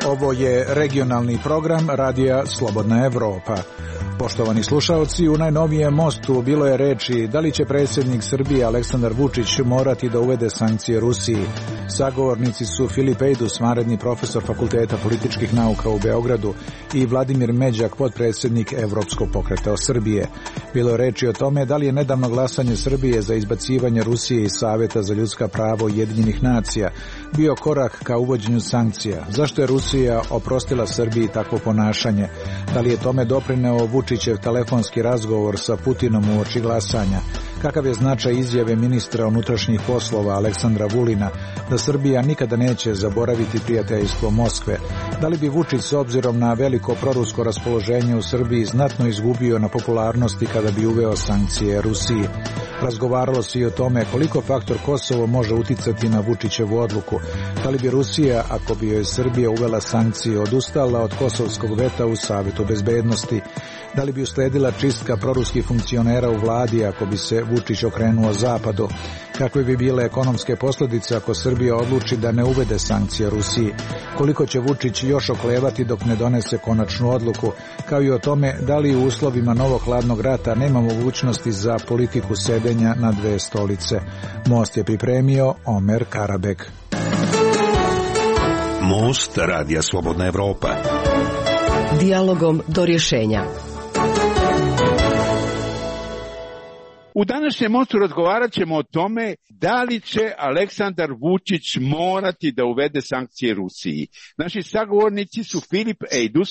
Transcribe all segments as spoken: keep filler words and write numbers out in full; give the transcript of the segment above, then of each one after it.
Ovo je regionalni program Radija Slobodna Evropa. Poštovani slušaoci, u najnovijem mostu bilo je reči da li će predsjednik Srbije Aleksandar Vučić morati da uvede sankcije Rusiji. Sagovornici su Filip Ejdus, vanredni profesor Fakulteta političkih nauka u Beogradu, i Vladimir Međak, potpredsjednik Evropskog pokreta Srbije. Bilo je reči o tome da li je nedavno glasanje Srbije za izbacivanje Rusije iz Saveta za ljudska prava Ujedinjenih nacija bio korak ka uvođenju sankcija. Zašto je Rusija oprostila Srbiji takvo ponašanje? Da li je tome doprineo Vučićev telefonski razgovor sa Putinom uoči glasanja? Kakav je značaj izjave ministra unutrašnjih poslova Aleksandra Vulina da Srbija nikada neće zaboraviti prijateljstvo Moskve? Da li bi Vučić s obzirom na veliko prorusko raspoloženje u Srbiji znatno izgubio na popularnosti kada bi uveo sankcije Rusiji? Razgovaralo se i o tome koliko faktor Kosovo može uticati na Vučićevu odluku. Da li bi Rusija, ako bi joj Srbija uvela sankcije, odustala od kosovskog veta u Savetu bezbednosti? Da li bi usledila čistka proruskih funkcionera u vladi ako bi se Vučić okrenuo zapadu? Kakve bi bile ekonomske posljedice ako Srbija odluči da ne uvede sankcije Rusiji? Koliko će Vučić još oklevati dok ne donese konačnu odluku? Kao i o tome da li u uslovima novog hladnog rata nema mogućnosti za politiku sedenja na dve stolice. Most je pripremio Omer Karabek. Most Radija Slobodna Evropa. Dijalogom do rješenja. U današnjem mostu razgovarat ćemo o tome da li će Aleksandar Vučić morati da uvede sankcije Rusiji. Naši sagovornici su Filip Ejdus,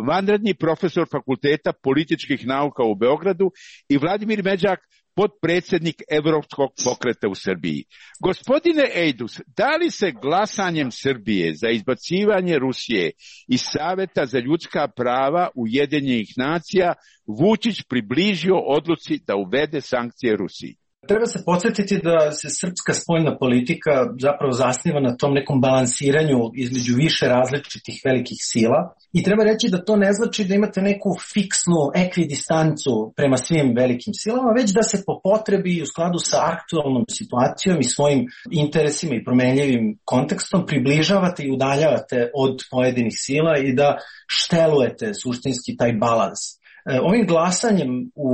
vanredni profesor Fakulteta političkih nauka u Beogradu, i Vladimir Međak, potpredsjednik Evropskog pokreta u Srbiji. Gospodine Ejdus, da li se glasanjem Srbije za izbacivanje Rusije iz Saveta za ljudska prava Ujedinjenih nacija Vučić približio odluci da uvede sankcije Rusiji? Treba se podsjetiti da se srpska spoljna politika zapravo zasniva na tom nekom balansiranju između više različitih velikih sila i treba reći da to ne znači da imate neku fiksnu ekvidistancu prema svim velikim silama, već da se po potrebi u skladu sa aktualnom situacijom i svojim interesima i promenljivim kontekstom približavate i udaljavate od pojedinih sila i da štelujete suštinski taj balans. Ovim glasanjem u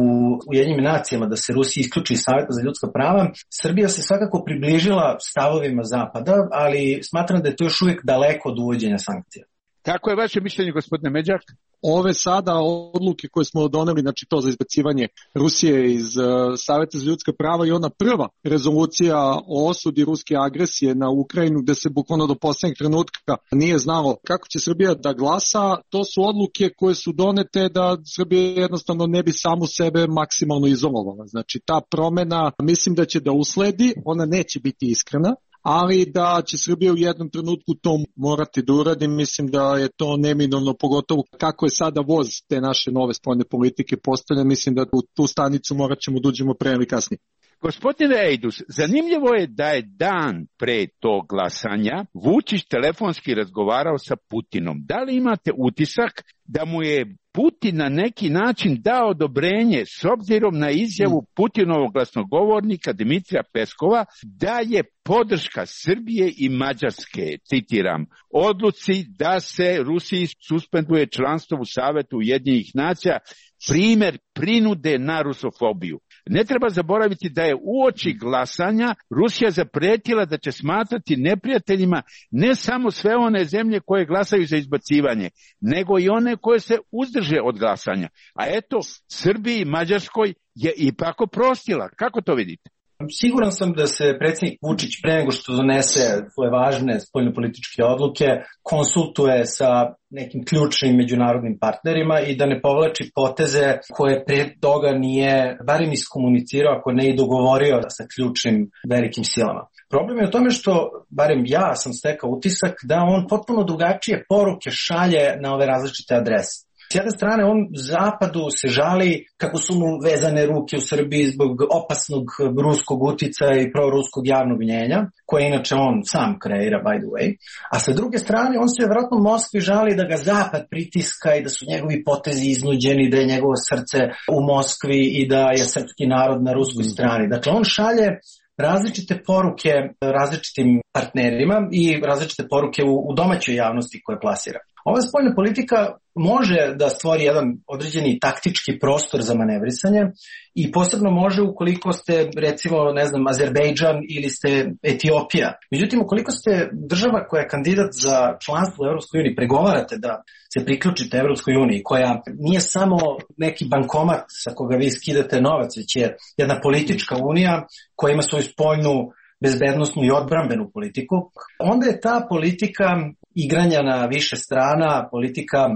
Ujedinjenim nacijama da se Rusija isključi iz Saveta za ljudska prava, Srbija se svakako približila stavovima Zapada, ali smatram da je to još uvijek daleko od uvođenja sankcija. Kako je vaše mišljenje, gospodine Međak? Ove sada odluke koje smo doneli, znači to za izbacivanje Rusije iz uh, Saveta za ljudska prava i ona prva rezolucija o osudi ruske agresije na Ukrajinu, gde se bukvalno do posljednjeg trenutka nije znalo kako će Srbija da glasa, to su odluke koje su donete da Srbija jednostavno ne bi samu sebe maksimalno izolovala. Znači ta promena mislim da će da usledi, ona neće biti iskrena, ali da će Srbija u jednom trenutku to morati da uradi, mislim da je to neminovno, pogotovo kako je sada voz te naše nove spoljne politike postavljen, mislim da u tu stanicu morat ćemo da uđemo pre ili kasnije. Gospodine Ejdus, zanimljivo je da je dan pre tog glasanja Vučić telefonski razgovarao sa Putinom. Da li imate utisak da mu je Putin na neki način dao odobrenje s obzirom na izjavu Putinovog glasnogovornika Dimitrija Peskova da je podrška Srbije i Mađarske, citiram, odluci da se Rusiji suspenduje članstvo u Savetu Ujedinjenih nacija primjer prinude na rusofobiju? Ne treba zaboraviti da je uoči glasanja Rusija zapretila da će smatrati neprijateljima ne samo sve one zemlje koje glasaju za izbacivanje, nego i one koje se uzdrže od glasanja. A eto, Srbiji i Mađarskoj je ipak oprostila. Kako to vidite? Siguran sam da se predsjednik Vučić pre nego što donese svoje važne spoljnopolitičke odluke konsultuje sa nekim ključnim međunarodnim partnerima i da ne povlači poteze koje pre toga nije barem iskomunicirao, ako ne i dogovorio sa ključnim velikim silama. Problem je u tome što, barem ja sam stekao utisak, da on potpuno drugačije poruke šalje na ove različite adrese. S jedne strane, on Zapadu se žali kako su mu vezane ruke u Srbiji zbog opasnog ruskog uticaja i proruskog javnog mnjenja, koje inače on sam kreira, by the way. A sa druge strane, on se vjerojatno Moskvi žali da ga Zapad pritiska i da su njegovi potezi iznuđeni, da je njegovo srce u Moskvi i da je srpski narod na ruskoj strani. Dakle, on šalje različite poruke različitim partnerima i različite poruke u, u domaćoj javnosti koje plasira. Ova spoljna politika može da stvori jedan određeni taktički prostor za manevrisanje i posebno može ukoliko ste, recimo, ne znam, Azerbejdžan ili ste Etiopija. Međutim, ukoliko ste država koja je kandidat za članstvo u Evropskoj uniji, pregovarate da se priključite Evropskoj uniji, koja nije samo neki bankomat sa koga vi skidate novac, već je jedna politička unija koja ima svoju spoljnu bezbednosnu i odbrambenu politiku, onda je ta politika igranja na više strana, politika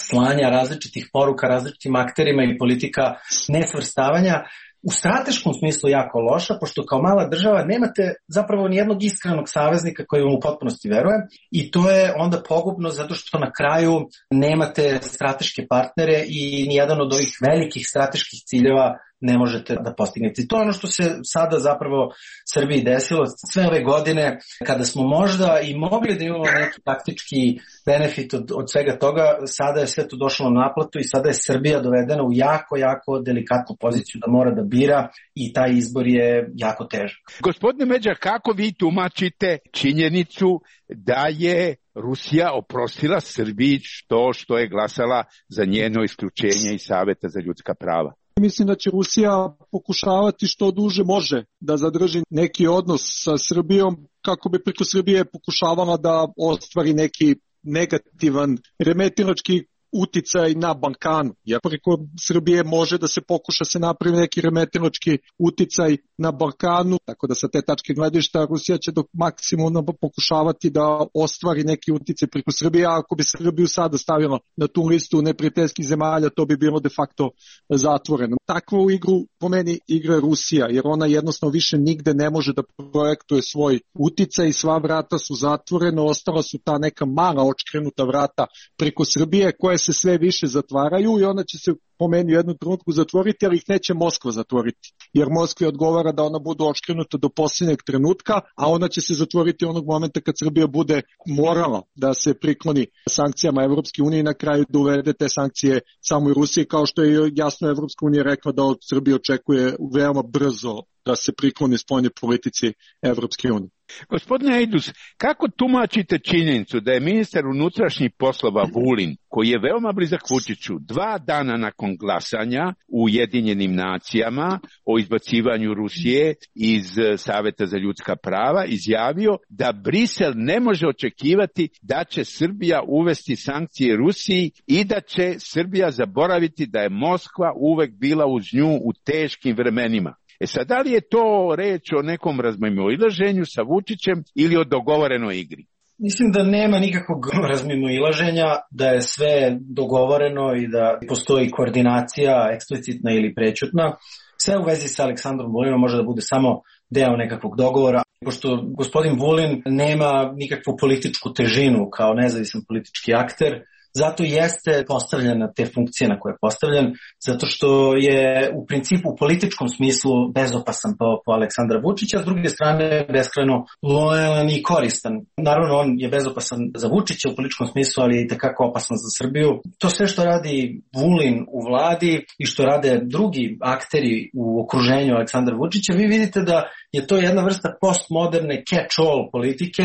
slanja različitih poruka različitim akterima i politika nesvrstavanja u strateškom smislu jako loša, pošto kao mala država nemate zapravo nijednog iskrenog saveznika koji vam u potpunosti veruje i to je onda pogubno zato što na kraju nemate strateške partnere i nijedan od ovih velikih strateških ciljeva ne možete da postignete. To je ono što se sada zapravo Srbiji desilo sve ove godine, kada smo možda i mogli da imamo neki taktički benefit od, od svega toga, sada je sve to došlo na naplatu i sada je Srbija dovedena u jako, jako delikatnu poziciju da mora da bira i taj izbor je jako težak. Gospodine Međa, kako vi tumačite činjenicu da je Rusija oprostila Srbiji što, što je glasala za njeno isključenje iz Saveta za ljudska prava? Mislim da će Rusija pokušavati što duže može da zadrži neki odnos sa Srbijom kako bi preko Srbije pokušavala da ostvari neki negativan remetilački uticaj na Balkanu. Jer preko Srbije može da se pokuša se napravi neki remetilački uticaj na Balkanu, tako da sa te tačke gledišta Rusija će do maksimuma pokušavati da ostvari neki uticaj preko Srbije, a ako bi Srbiju sada stavila na tu listu neprijateljskih zemalja, to bi bilo de facto zatvoreno. Takvu igru po meni igra Rusija, jer ona jednostavno više nigde ne može da projektuje svoj uticaj i sva vrata su zatvorena, ostala su ta neka mala očkrenuta vrata preko Srbije koje se sve više zatvaraju i ona će se po meni u jednu trenutku zatvoriti, ali ih neće Moskva zatvoriti. Jer Moskvi odgovara da ona bude očkrenuta do posljednjeg trenutka, a ona će se zatvoriti onog momenta kad Srbija bude morala da se prikloni sankcijama Evropske unije i na kraju da uvede te sankcije samo i Rusiji, kao što je jasno Evropska unija rekla da od Srbije očekuje veoma brzo da se prikloni spoljnoj politici Evropske unije. Gospodine Ejdus, kako tumačite činjenicu da je ministar unutrašnjih poslova Vulin, koji je veoma blizak Vučiću, dva dana nakon glasanja u Ujedinjenim nacijama o izbacivanju Rusije iz Saveta za ljudska prava, izjavio da Brisel ne može očekivati da će Srbija uvesti sankcije Rusiji i da će Srbija zaboraviti da je Moskva uvek bila uz nju u teškim vremenima. E sad, da li je to reč o nekom razmimoilaženju sa Vučićem ili o dogovorenoj igri? Mislim da nema nikakvog razmimoilaženja, da je sve dogovoreno i da postoji koordinacija eksplicitna ili prećutna. Sve u vezi sa Aleksandrom Vulinom može da bude samo deo nekakvog dogovora, pošto gospodin Vulin nema nikakvu političku težinu kao nezavisan politički akter. Zato jeste postavljen na te funkcije na koje je postavljen, zato što je u principu u političkom smislu bezopasan po, po Aleksandra Vučića, s druge strane beskrajno lojalan i koristan. Naravno, on je bezopasan za Vučića u političkom smislu, ali je i tekako opasan za Srbiju. To sve što radi Vulin u vladi i što rade drugi akteri u okruženju Aleksandra Vučića, vi vidite da je to jedna vrsta postmoderne catch-all politike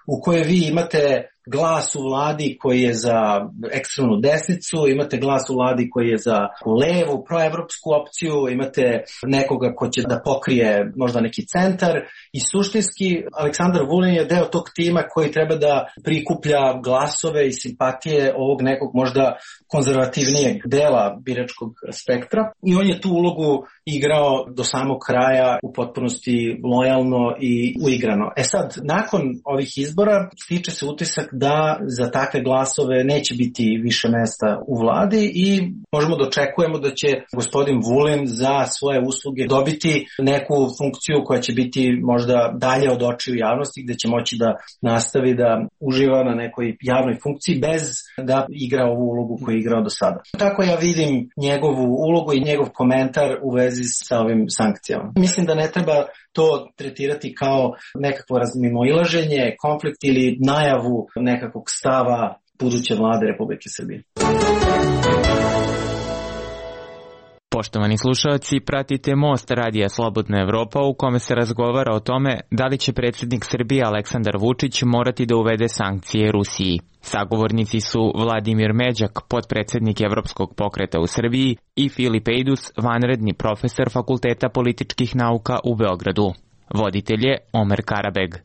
u kojoj vi imate glas u vladi koji je za ekstremnu desnicu, imate glas u vladi koji je za levu, proevropsku opciju, imate nekoga ko će da pokrije možda neki centar i suštinski Aleksandar Vulin je deo tog tima koji treba da prikuplja glasove i simpatije ovog nekog možda konzervativnijeg dela biračkog spektra i on je tu ulogu igrao do samog kraja u potpunosti lojalno i uigrano. E sad, nakon ovih izbora stiče se utisak da za takve glasove neće biti više mesta u vladi i možemo da očekujemo da će gospodin Vulin za svoje usluge dobiti neku funkciju koja će biti možda dalje od očiju javnosti, gde će moći da nastavi da uživa na nekoj javnoj funkciji bez da igra ovu ulogu koju je igrao do sada. Tako ja vidim njegovu ulogu i njegov komentar u vezi sa ovim sankcijama. Mislim da ne treba to tretirati kao nekakvo razmimoilaženje, konflikt ili najavu nekakvog stava buduće vlade Republike Srbije. Poštovani slušalci, pratite Most Radija Slobodna Evropa u kome se razgovara o tome da li će predsjednik Srbije Aleksandar Vučić morati da uvede sankcije Rusiji. Sagovornici su Vladimir Međak, potpredsjednik Evropskog pokreta u Srbiji, i Filip Ejdus, vanredni profesor Fakulteta političkih nauka u Beogradu. Voditelj je Omer Karabeg.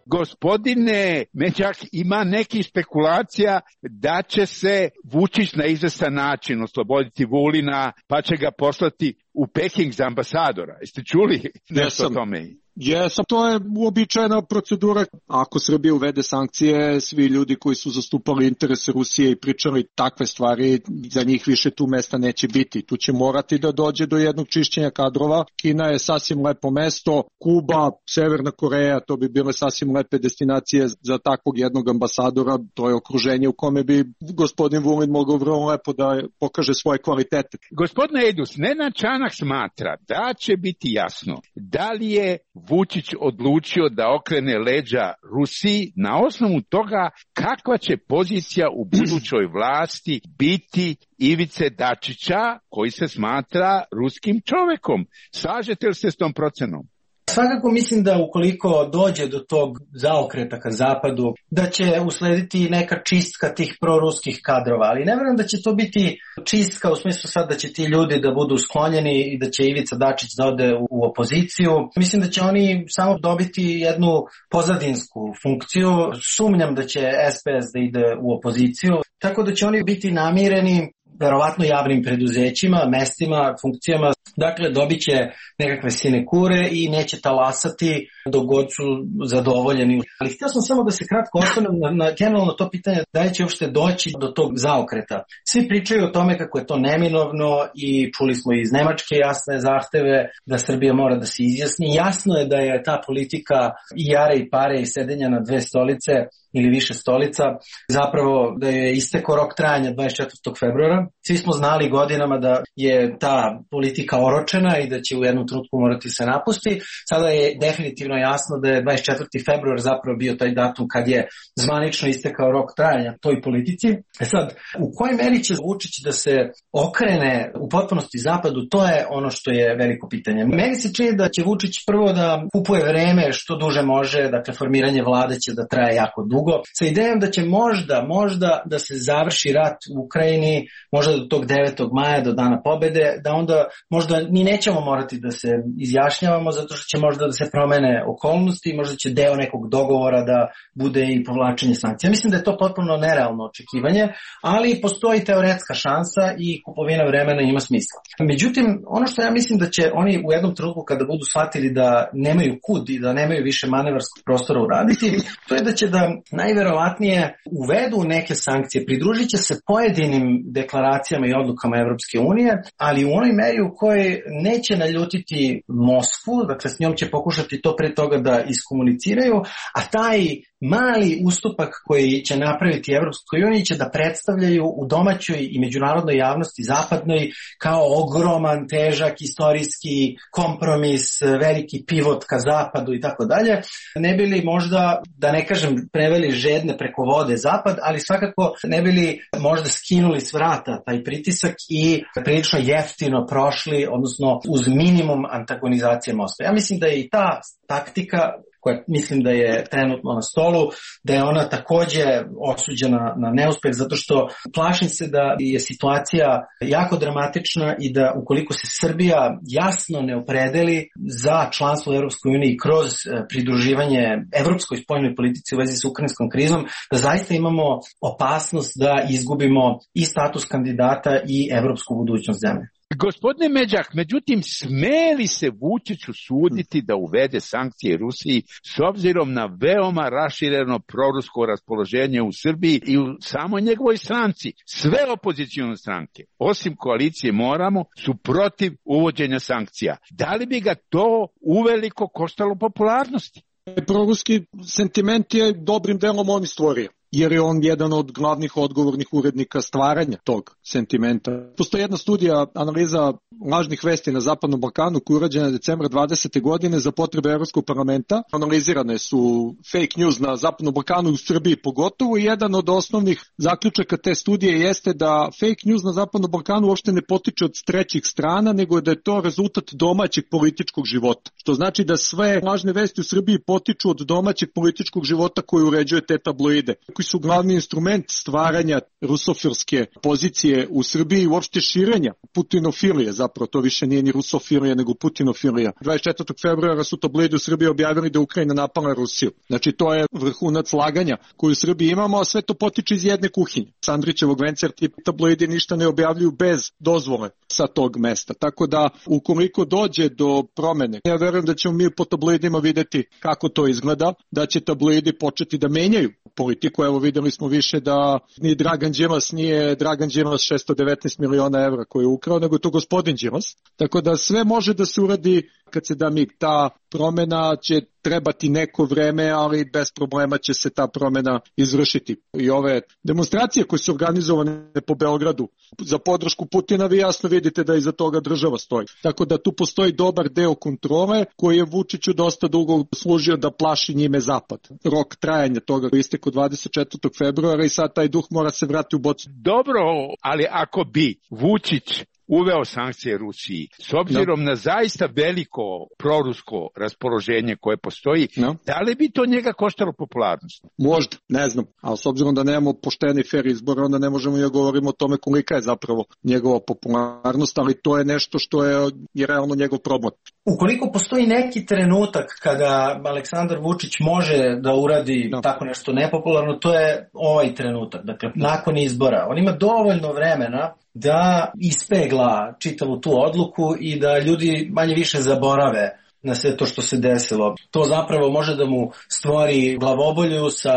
Gospodine Međak, ima nekih spekulacija da će se Vučić na izvestan način osloboditi Vulina, pa će ga poslati u Peking za ambasadora. Jeste čuli nešto o tome? Jesam, to je uobičajena procedura. Ako Srbija uvede sankcije, svi ljudi koji su zastupali interese Rusije i pričali takve stvari, za njih više tu mesta neće biti. Tu će morati da dođe do jednog čišćenja kadrova. Kina je sasvim lepo mesto, Kuba, Severna Koreja, to bi bile sasvim lepe destinacije za takvog jednog ambasadora. To je okruženje u kome bi gospodin Vulin mogao vrlo lepo da pokaže svoje kvalitete. Gospodine Ejdus, Nenad Čanak smatra da će biti jasno da li je Vučić odlučio da okrene leđa Rusiji na osnovu toga kakva će pozicija u budućoj vlasti biti Ivice Dačića, koji se smatra ruskim čovekom. Slažete li se s tom procenom? Svakako mislim da ukoliko dođe do tog zaokreta ka zapadu, da će uslediti neka čistka tih proruskih kadrova, ali ne vjerujem da će to biti čistka u smislu sad da će ti ljudi da budu sklonjeni i da će Ivica Dačić da ode u opoziciju. Mislim da će oni samo dobiti jednu pozadinsku funkciju. Sumnjam da će S P S da ide u opoziciju, tako da će oni biti namireni verovatno javnim preduzećima, mestima, funkcijama. Dakle, dobit će nekakve sinekure i neće talasati dok god su zadovoljeni. Ali htio sam samo da se kratko osvrnem na, na generalno to pitanje da li će uopšte doći do tog zaokreta. Svi pričaju o tome kako je to neminovno i čuli smo iz Nemačke jasne zahteve da Srbija mora da se izjasni. Jasno je da je ta politika i jare i pare i sedenja na dve stolice ili više stolica, zapravo da je istekao rok trajanja dvadeset četvrtog februara. Svi smo znali godinama da je ta politika oročena i da će u jednom trenutku morati se napusti. Sada je definitivno jasno da je dvadeset četvrti februar zapravo bio taj datum kad je zvanično istekao rok trajanja toj politici. E sad, u kojoj meri će Vučić da se okrene u potpunosti zapadu, to je ono što je veliko pitanje. Meni se čini da će Vučić prvo da kupuje vreme što duže može, dakle formiranje vlade će da traje jako dugo, sa idejom da će možda, možda da se završi rat u Ukrajini, možda do tog devetog maja, do dana pobede, da onda možda mi nećemo morati da se izjašnjavamo zato što će možda da se promene okolnosti, možda će deo nekog dogovora da bude i povlačenje sankcija. Mislim da je to potpuno nerealno očekivanje, ali postoji teoretska šansa i kupovina vremena ima smisla. Međutim, ono što ja mislim da će oni u jednom trenutku kada budu shvatili da nemaju kud i da nemaju više manevarskog prostora uraditi, to je da će da najverovatnije uvedu neke sankcije, pridružit će se pojedinim deklaracijama i odlukama Evropske unije, ali u onoj meri u kojoj neće naljutiti Moskvu, dakle s njom će pokušati to pre toga da iskomuniciraju, a taj mali ustupak koji će napraviti Evropskoj uniji će da predstavljaju u domaćoj i međunarodnoj javnosti zapadnoj kao ogroman, težak, istorijski kompromis, veliki pivot ka zapadu i tako dalje. Ne bi li možda, da ne kažem preveli žedne preko vode zapad, ali svakako ne bi li možda skinuli s vrata taj pritisak i prilično jeftino prošli, odnosno uz minimum antagonizacije Moskve. Ja mislim da je i ta taktika koja mislim da je trenutno na stolu, da je ona takođe osuđena na neuspeh, zato što plašim se da je situacija jako dramatična i da ukoliko se Srbija jasno ne opredeli za članstvo u Evropskoj uniji kroz pridruživanje evropskoj spoljnoj politici u vezi sa ukrajinskom krizom, da zaista imamo opasnost da izgubimo i status kandidata i evropsku budućnost zemlje. Gospodine Međak, međutim, sme li se Vučiću suditi da uvede sankcije Rusiji s obzirom na veoma rašireno prorusko raspoloženje u Srbiji i u samoj njegovoj stranci? Sve opozicijone stranke, osim koalicije Moramo, su protiv uvođenja sankcija. Da li bi ga to uveliko koštalo popularnosti? Proruski sentiment je dobrim delom on stvorio, jer je on jedan od glavnih odgovornih urednika stvaranja tog sentimenta. Postoji jedna studija, analiza lažnih vesti na Zapadnom Balkanu koja je urađena decembra dvadesete godine za potrebe Evropskog parlamenta. Analizirane su fake news na Zapadnom Balkanu i u Srbiji pogotovo i jedan od osnovnih zaključaka te studije jeste da fake news na Zapadnom Balkanu uopšte ne potiče od trećih strana, nego da je to rezultat domaćeg političkog života. Što znači da sve lažne vesti u Srbiji potiču od domaćeg političkog života koji uređuje te tabloide, koji su glavni instrument stvaranja rusofilske pozicije u Srbiji i uopšte širenja putinofilije, zapravo to više nije ni rusofilija nego putinofilija. dvadeset četvrtog februara su tabloidi u Srbiji objavili da Ukrajina napala Rusiju. Znači to je vrhunac laganja koju u Srbiji imamo, a sve to potiče iz jedne kuhinje. Sandrićevog vencer ti tabloidi ništa ne objavljuju bez dozvole sa tog mesta. Tako da ukoliko dođe do promene, ja verujem da ćemo mi po tabloidima videti kako to izgleda, da će tabloidi početi da menjaju politiku. Evo videli smo više da ni Dragan Đilas nije Dragan Đilas šesto devetnaest miliona evra koje je ukrao, nego je to gospodin Đilas. Tako da sve može da se uradi kad se da mig. Ta promena će trebati neko vreme, ali bez problema će se ta promena izvršiti. I ove demonstracije koje su organizovane po Beogradu za podršku Putina, vi jasno vidite da iza toga država stoji. Tako da tu postoji dobar deo kontrole koji je Vučiću dosta dugo služio da plaši njime Zapad. Rok trajanja toga istekao dvadeset četvrtog februara i sad taj duh mora se vratiti u bocu. Dobro, ali ako bi Vučić uveo sankcije Rusiji, s obzirom no. na zaista veliko prorusko raspoloženje koje postoji, no. da li bi to njega koštalo popularnost? Možda, ne znam, ali s obzirom da nemamo pošteni fair izbor, onda ne možemo da govorimo o tome kolika je zapravo njegova popularnost, ali to je nešto što je, je realno njegov problem. Ukoliko postoji neki trenutak kada Aleksandar Vučić može da uradi no. tako nešto nepopularno, to je ovaj trenutak, dakle, nakon izbora. On ima dovoljno vremena da ispegla čitavu tu odluku i da ljudi manje više zaborave na sve to što se desilo. To zapravo može da mu stvori glavobolju sa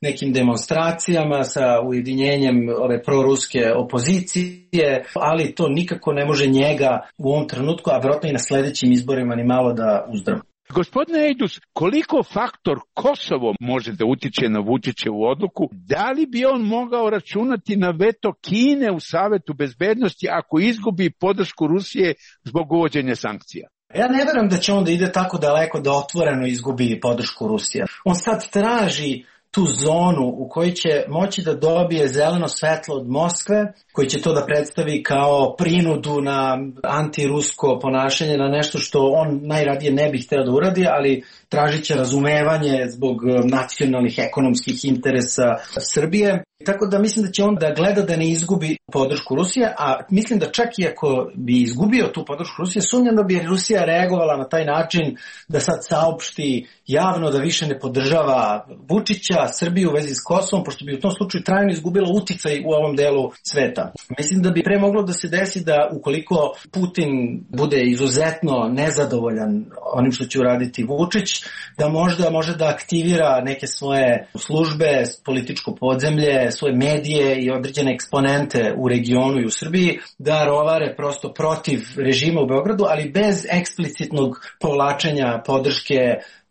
nekim demonstracijama, sa ujedinjenjem ove proruske opozicije, ali to nikako ne može njega u ovom trenutku, a vjerojatno i na sledećim izborima ni malo da uzdravi. Gospodine Ejdus, koliko faktor Kosovo može da utiče na Vučićevu odluku? Da li bi on mogao računati na veto Kine u Savetu bezbednosti ako izgubi podršku Rusije zbog uvođenja sankcija? Ja ne verujem da će on da ide tako daleko da otvoreno izgubi podršku Rusije. On sad traži tu zonu u kojoj će moći da dobije zeleno svetlo od Moskve, koji će to da predstavi kao prinudu na antirusko ponašanje, na nešto što on najradije ne bi hteo da uradi, ali tražit će razumevanje zbog nacionalnih ekonomskih interesa Srbije. Tako da mislim da će on da gleda da ne izgubi podršku Rusije, a mislim da čak i ako bi izgubio tu podršku Rusije, sumnjam da bi Rusija reagovala na taj način da sad saopšti javno da više ne podržava Vučića, Srbiju u vezi s Kosovom, pošto bi u tom slučaju trajno izgubila uticaj u ovom delu sveta. Mislim da bi pre moglo da se desi da ukoliko Putin bude izuzetno nezadovoljan onim što će uraditi Vučić, da možda može da aktivira neke svoje službe, političko podzemlje, svoje medije i određene eksponente u regionu i u Srbiji da rovare prosto protiv režima u Beogradu, ali bez eksplicitnog povlačenja podrške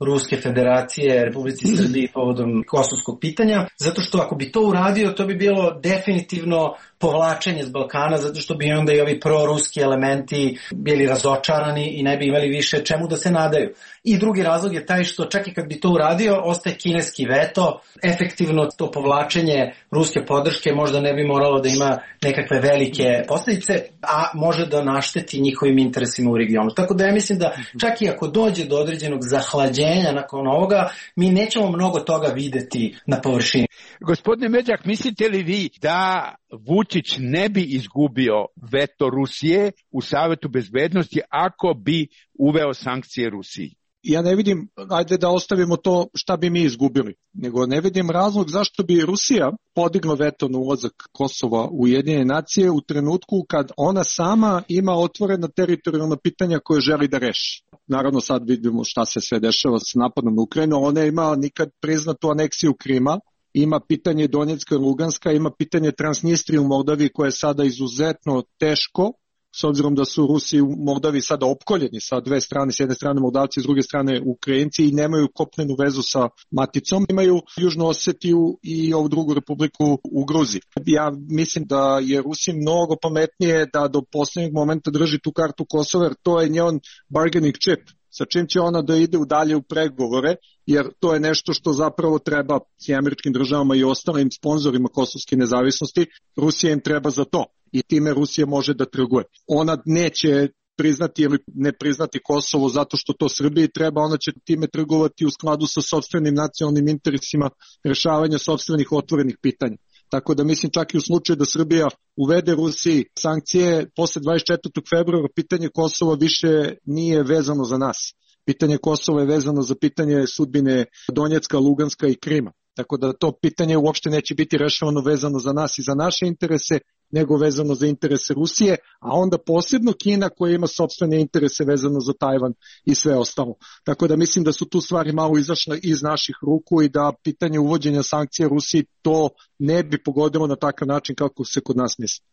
Ruske federacije, Republici Srbiji povodom kosovskog pitanja, zato što ako bi to uradio, to bi bilo definitivno povlačenje s Balkana, zato što bi onda i ovi proruski elementi bili razočarani i ne bi imali više čemu da se nadaju. I drugi razlog je taj što čak i kad bi to uradio, ostaje kineski veto, efektivno to povlačenje ruske podrške možda ne bi moralo da ima nekakve velike posljedice, a može da našteti njihovim interesima u regionu. Tako da ja mislim da čak i ako dođe do određenog zahlađenja nakon ovoga, mi nećemo mnogo toga videti na površini. Gospodine Međak, mislite li vi da Vučić ne bi izgubio veto Rusije u Savetu bezbednosti ako bi uveo sankcije Rusiji? ja ne vidim, ajde da ostavimo to šta bi mi izgubili, nego ne vidim razlog zašto bi Rusija podigla veto na ulazak Kosova u Ujedinjene nacije u trenutku kad ona sama ima otvorena teritorijalna pitanja koje želi da reši. Naravno sad vidimo šta se sve dešava s napadom na Ukrajinu, ona ima nikad priznatu aneksiju Krima, ima pitanje Donjecka i Luganska, ima pitanje Transnistrije u Moldaviji koje je sada izuzetno teško, s obzirom da su Rusi u Moldaviji sada opkoljeni sa dve strane, s jedne strane Moldavci, s druge strane Ukrajinci i nemaju kopnenu vezu sa maticom, imaju Južnu Osetiju i ovu drugu republiku u Gruziji. Ja mislim da je Rusi mnogo pametnije da do poslednjeg momenta drži tu kartu Kosova, jer to je njen bargaining chip, sa čim će ona da ide u dalje u pregovore, jer to je nešto što zapravo treba i američkim državama i ostalim sponzorima kosovske nezavisnosti, Rusija im treba za to i time Rusija može da trguje. Ona neće priznati ili ne priznati Kosovo zato što to Srbiji treba, ona će time trgovati u skladu sa sopstvenim nacionalnim interesima rešavanja sopstvenih otvorenih pitanja. Tako da mislim čak i u slučaju da Srbija uvede Rusiji sankcije posle dvadeset četvrtog februara, pitanje Kosova više nije vezano za nas. Pitanje Kosova je vezano za pitanje sudbine Donjecka, Luganska i Krima. Tako da to pitanje uopšte neće biti rešavano vezano za nas i za naše interese, nego vezano za interese Rusije, a onda posebno Kina koja ima sopstvene interese vezano za Tajvan i sve ostalo. Tako da mislim da su tu stvari malo izašle iz naših ruku i da pitanje uvođenja sankcija Rusiji to ne bi pogodilo na takav način kako se kod nas misli.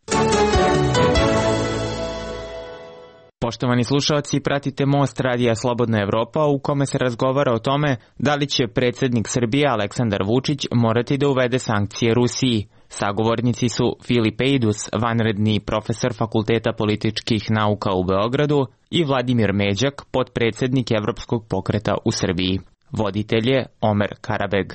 Poštovani slušalci, pratite Most radija Slobodna Evropa u kome se razgovara o tome da li će predsjednik Srbije Aleksandar Vučić morati da uvede sankcije Rusiji. Sagovornici su Filip Ejdus, vanredni profesor Fakulteta političkih nauka u Beogradu, i Vladimir Međak, potpredsjednik Evropskog pokreta u Srbiji. Voditelj je Omer Karabeg.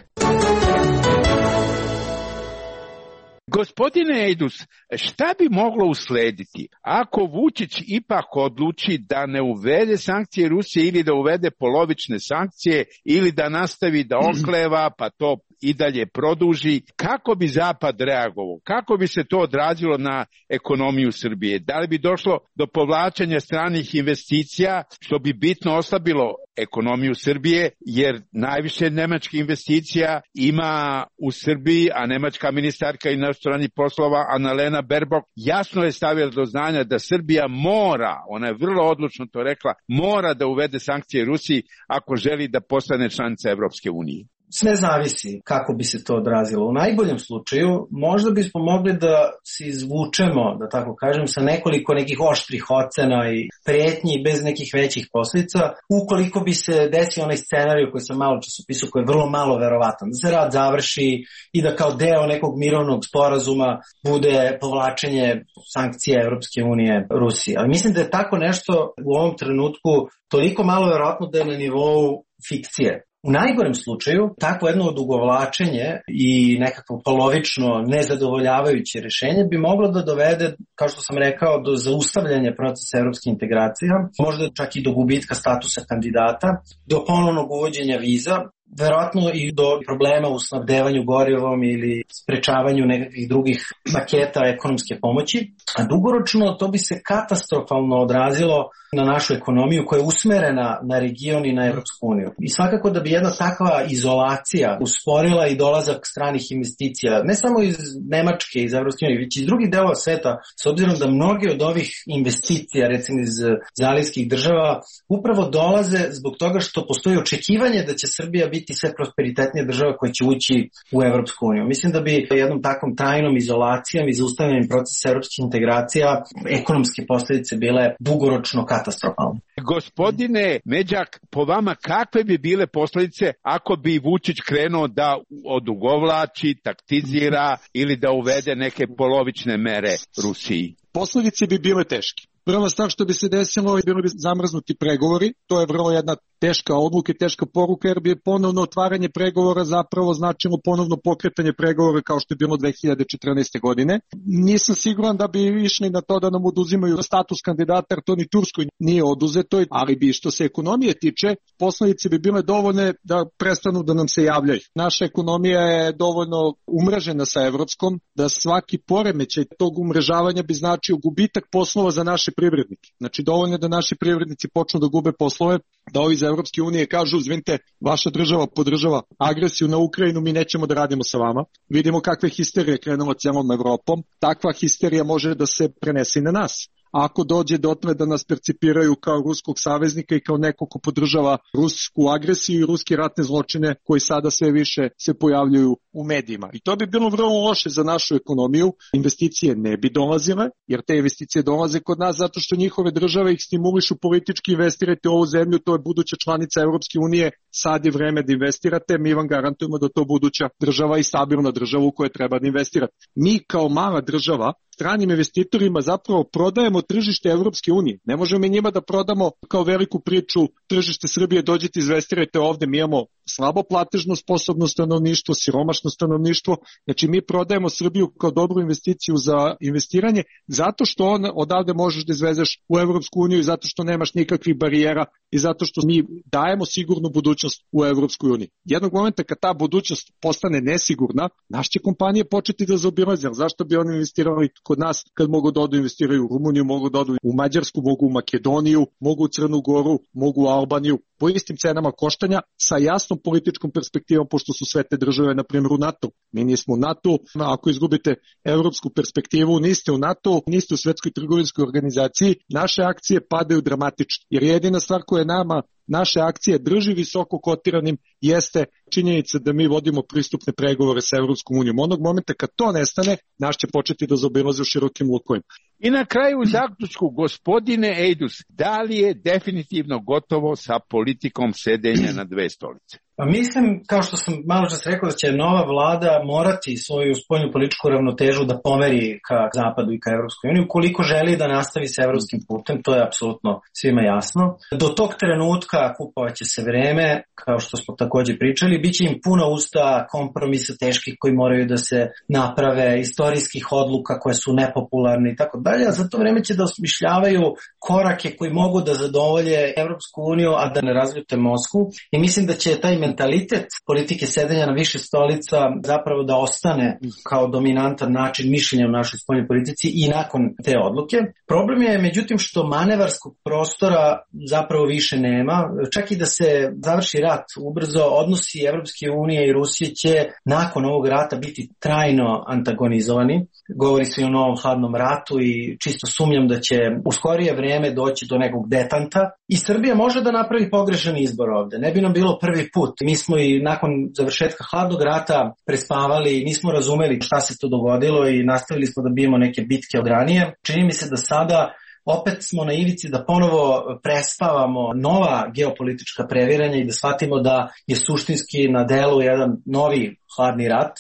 Gospodine Ejdus, šta bi moglo uslediti ako Vučić ipak odluči da ne uvede sankcije Rusije ili da uvede polovične sankcije ili da nastavi da okleva pa to i dalje produži? Kako bi Zapad reagovao? Kako bi se to odrazilo na ekonomiju Srbije? Da li bi došlo do povlačenja stranih investicija, što bi bitno oslabilo ekonomiju Srbije, jer najviše nemačkih investicija ima u Srbiji, a nemačka ministarka inostranih poslova Annalena Baerbock jasno je stavila do znanja da Srbija mora, ona je vrlo odlučno to rekla, mora da uvede sankcije Rusiji ako želi da postane članica Evropske unije. Sve zavisi kako bi se to odrazilo. U najboljem slučaju možda bismo mogli da se izvučemo, da tako kažem, sa nekoliko nekih oštrih ocena i pretnji bez nekih većih posljedica, ukoliko bi se desio onaj scenarij koji sam malo časopisao, koji je vrlo malo verovatan, da se rad završi i da kao deo nekog mirovnog sporazuma bude povlačenje sankcija Evropske unije Rusiji. Ali mislim da je tako nešto u ovom trenutku toliko malo verovatno da je na nivou fikcije. U najgorem slučaju, takvo jedno odugovlačenje i nekako polovično nezadovoljavajuće rješenje bi moglo da dovede, kao što sam rekao, do zaustavljanja procesa evropskih integracija, možda čak i do gubitka statusa kandidata, do ponovnog uvođenja viza, verovatno i do problema u snabdevanju gorivom ili sprečavanju nekakvih drugih paketa ekonomske pomoći, a dugoročno to bi se katastrofalno odrazilo na našu ekonomiju koja je usmerena na region i na Evropsku uniju. I svakako da bi jedna takva izolacija usporila i dolazak stranih investicija, ne samo iz Nemačke, iz Evropske unije, već iz drugih delova sveta, s obzirom da mnoge od ovih investicija, recimo iz zalivskih država, upravo dolaze zbog toga što postoji očekivanje da će Srbija biti sve prosperitetnija država koja će ući u Evropsku uniju. Mislim da bi jednom takvom trajnom izolacijom i zaustavljanjem procesa evropskih integracija ekonomske posljedice bile dugoročno katastrofalne. Gospodine Međak, po vama kakve bi bile posljedice ako bi Vučić krenuo da odugovlači, taktizira ili da uvede neke polovične mere Rusiji? Posljedice bi bile teške. Prva stvar što bi se desilo, bili bi zamrznuti pregovori, to je vrlo jedna teška odluka i teška poruka, jer bi ponovno otvaranje pregovora zapravo značilo ponovno pokretanje pregovora kao što je bilo dve hiljade četrnaeste. godine. Nisam siguran da bi išli na to da nam oduzimaju status kandidata, jer to ni Turskoj nije oduzeto, ali bi što se ekonomije tiče, posljedice bi bile dovoljne da prestanu da nam se javljaju. Naša ekonomija je dovoljno umrežena sa evropskom, da svaki poremećaj tog umrežavanja bi značio gubitak poslova za naše privrednike. Znači dovoljno je da naši privrednici počnu da gube poslove, da ovi iz Evropske unije kažu, izvinite, vaša država podržava agresiju na Ukrajinu, mi nećemo da radimo sa vama. Vidimo kakve histerije krenula cijelom Evropom. Takva histerija može da se prenese i na nas. Ako dođe dotle da nas percipiraju kao ruskog saveznika i kao neko ko podržava rusku agresiju i ruske ratne zločine koji sada sve više se pojavljuju u medijima. I to bi bilo vrlo loše za našu ekonomiju. Investicije ne bi dolazile, jer te investicije dolaze kod nas zato što njihove države ih stimulišu politički, investirajte u ovu zemlju, to je buduća članica Evropske unije, sad je vreme da investirate, mi vam garantujemo da to buduća država i stabilna država u kojoj treba da investirate. Mi kao mala država stranim investitorima zapravo prodajemo tržište Evropske unije. Ne možemo mi njima da prodamo kao veliku priču tržište Srbije, dođite, investirajte ovde, mi imamo slabo platežno sposobno stanovništvo, siromašno stanovništvo, znači mi prodajemo Srbiju kao dobru investiciju za investiranje, zato što on odavde možeš da izvezeš u Evropsku uniju i zato što nemaš nikakvih barijera i zato što mi dajemo sigurnu budućnost u Evropskoj uniji. Jednog momenta kad ta budućnost postane nesigurna, naše će kompanije početi da zaobilaze, zašto bi oni investirali kod nas kad mogu da odu investiraju u Rumuniju, mogu da odu u Mađarsku, mogu u Makedoniju, mogu u Crnu Goru, mogu u Albaniju, po istim cenama koštanja, sa jasnom političkom perspektivom, pošto su sve te države, na primjer, u NATO. Mi nismo u NATO, ako izgubite evropsku perspektivu, niste u NATO, niste u Svetskoj trgovinskoj organizaciji, naše akcije padaju dramatično, jer jedina stvar koja je nama naše akcije drži visoko kotiranim jeste činjenica da mi vodimo pristupne pregovore sa Evropskom unijom. Onog momenta kad to nestane, naš će početi da zaobilaze u širokim lukovima. I na kraju u zaključku, gospodine Ejdus, da li je definitivno gotovo sa politikom sedenja na dve stolice? Pa mislim, kao što sam malo čas rekao, da će nova vlada morati svoju spoljnu političku ravnotežu da pomeri ka Zapadu i ka Evropskoj uniji, ukoliko želi da nastavi sa evropskim putem, to je apsolutno svima jasno. Do tog trenutka kupovaće se vreme, kao što smo takođe pričali, bit će im puna usta kompromisa teških koji moraju da se naprave, istorijskih odluka koje su nepopularne i tako dalje, a za to vreme će da osmišljavaju korake koji mogu da zadovolje Evropsku uniju, a da ne razljute Moskvu. I mislim da će taj mentalitet politike sedenja na više stolica zapravo da ostane kao dominantan način mišljenja u našoj spoljnoj politici i nakon te odluke. Problem je međutim što manevarskog prostora zapravo više nema. Čak i da se završi rat ubrzo, odnosi Evropske unije i Rusije će nakon ovog rata biti trajno antagonizovani. Govori se i o novom hladnom ratu i čisto sumnjam da će u skorije vreme doći do nekog detanta i Srbija može da napravi pogrešan izbor ovde. Ne bi nam bilo prvi put. Mi smo i nakon završetka hladnog rata prespavali, nismo razumeli šta se to dogodilo i nastavili smo da bijemo neke bitke od ranije. Čini mi se da sada opet smo na ivici da ponovo prespavamo nova geopolitička previranja i da shvatimo da je suštinski na delu jedan novi hladni rat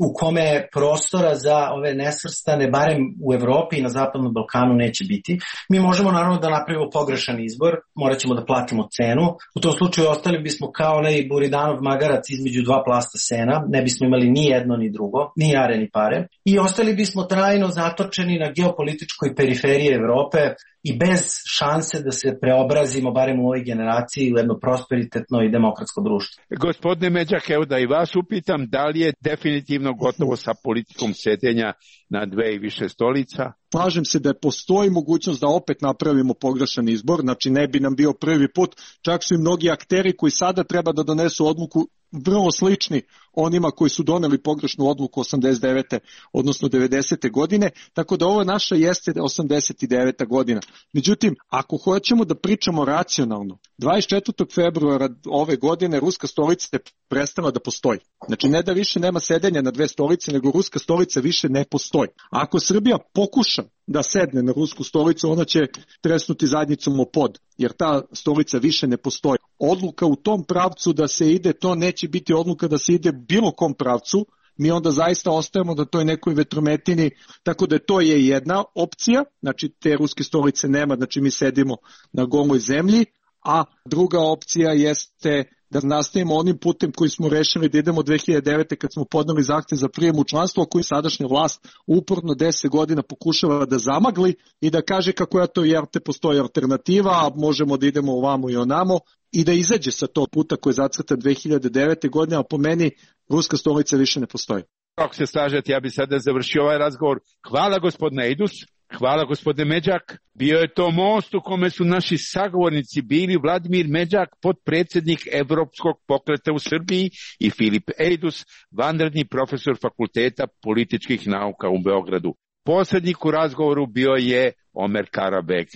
u kome prostora za ove nesvrstane, barem u Evropi i na Zapadnom Balkanu, neće biti. Mi možemo naravno da napravimo pogrešan izbor, morat ćemo da platimo cenu. U tom slučaju ostali bismo kao onaj Buridanov magarac između dva plasta sena, ne bismo imali ni jedno ni drugo, ni jare ni pare. I ostali bismo trajno zatočeni na geopolitičkoj periferiji Evrope i bez šanse da se preobrazimo, barem u ovoj generaciji, u jedno prosperitetno i demokratsko društvo. Gospodine Međak, evo da i vas upitam, da li je definitivno gotovo sa politikom sedenja na dve i više stolica? Slažem se da postoji mogućnost da opet napravimo pogrešan izbor, znači ne bi nam bio prvi put, čak su i mnogi akteri koji sada treba da donesu odluku vrlo slični onima koji su doneli pogrešnu odluku osamdeset devete odnosno devedesete godine, tako da ovo naša jeste osamdeset deveta godina. Međutim, ako hoćemo da pričamo racionalno, dvadeset četvrtog februara ove godine ruska stolica je prestala da postoji. Znači ne da više nema sedenja na dve stolice, nego ruska stolica više ne postoji. Ako Srbija pokuša da sedne na rusku stolicu, ona će tresnuti zadnjicom o pod, jer ta stolica više ne postoji. Odluka u tom pravcu da se ide, to neće biti odluka da se ide bilo kom pravcu, mi onda zaista ostajemo da toj nekoj vetrometini, tako da to je jedna opcija, znači te ruske stolice nema, znači mi sedimo na goloj zemlji, a druga opcija jeste da nastavimo onim putem koji smo rešili da idemo dve hiljade devete kad smo podneli zahtev za prijem u članstvo, a koji sadašnja vlast uporno deset godina pokušava da zamagli i da kaže kako ja to jer te postoji alternativa, a možemo da idemo ovamo i onamo i da izađe sa tog puta koji je zacrtan dve hiljade devete godine, a po meni ruska stolica više ne postoji. Ako se slažete, ja bih sada završio ovaj razgovor. Hvala gospodine Ejdus. Hvala gospodine Međak. Bio je to most u kome su naši sagovornici bili Vladimir Međak, potpredsjednik Evropskog pokreta u Srbiji, i Filip Ejdus, vanredni profesor Fakulteta političkih nauka u Beogradu. Posrednik u razgovoru bio je Omer Karabek.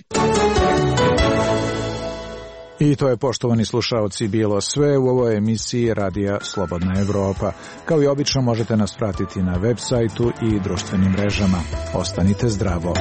I to je, poštovani slušaoci, bilo sve u ovoj emisiji Radija Slobodna Evropa. Kao i obično možete nas pratiti na web sajtu i društvenim mrežama. Ostanite zdravo.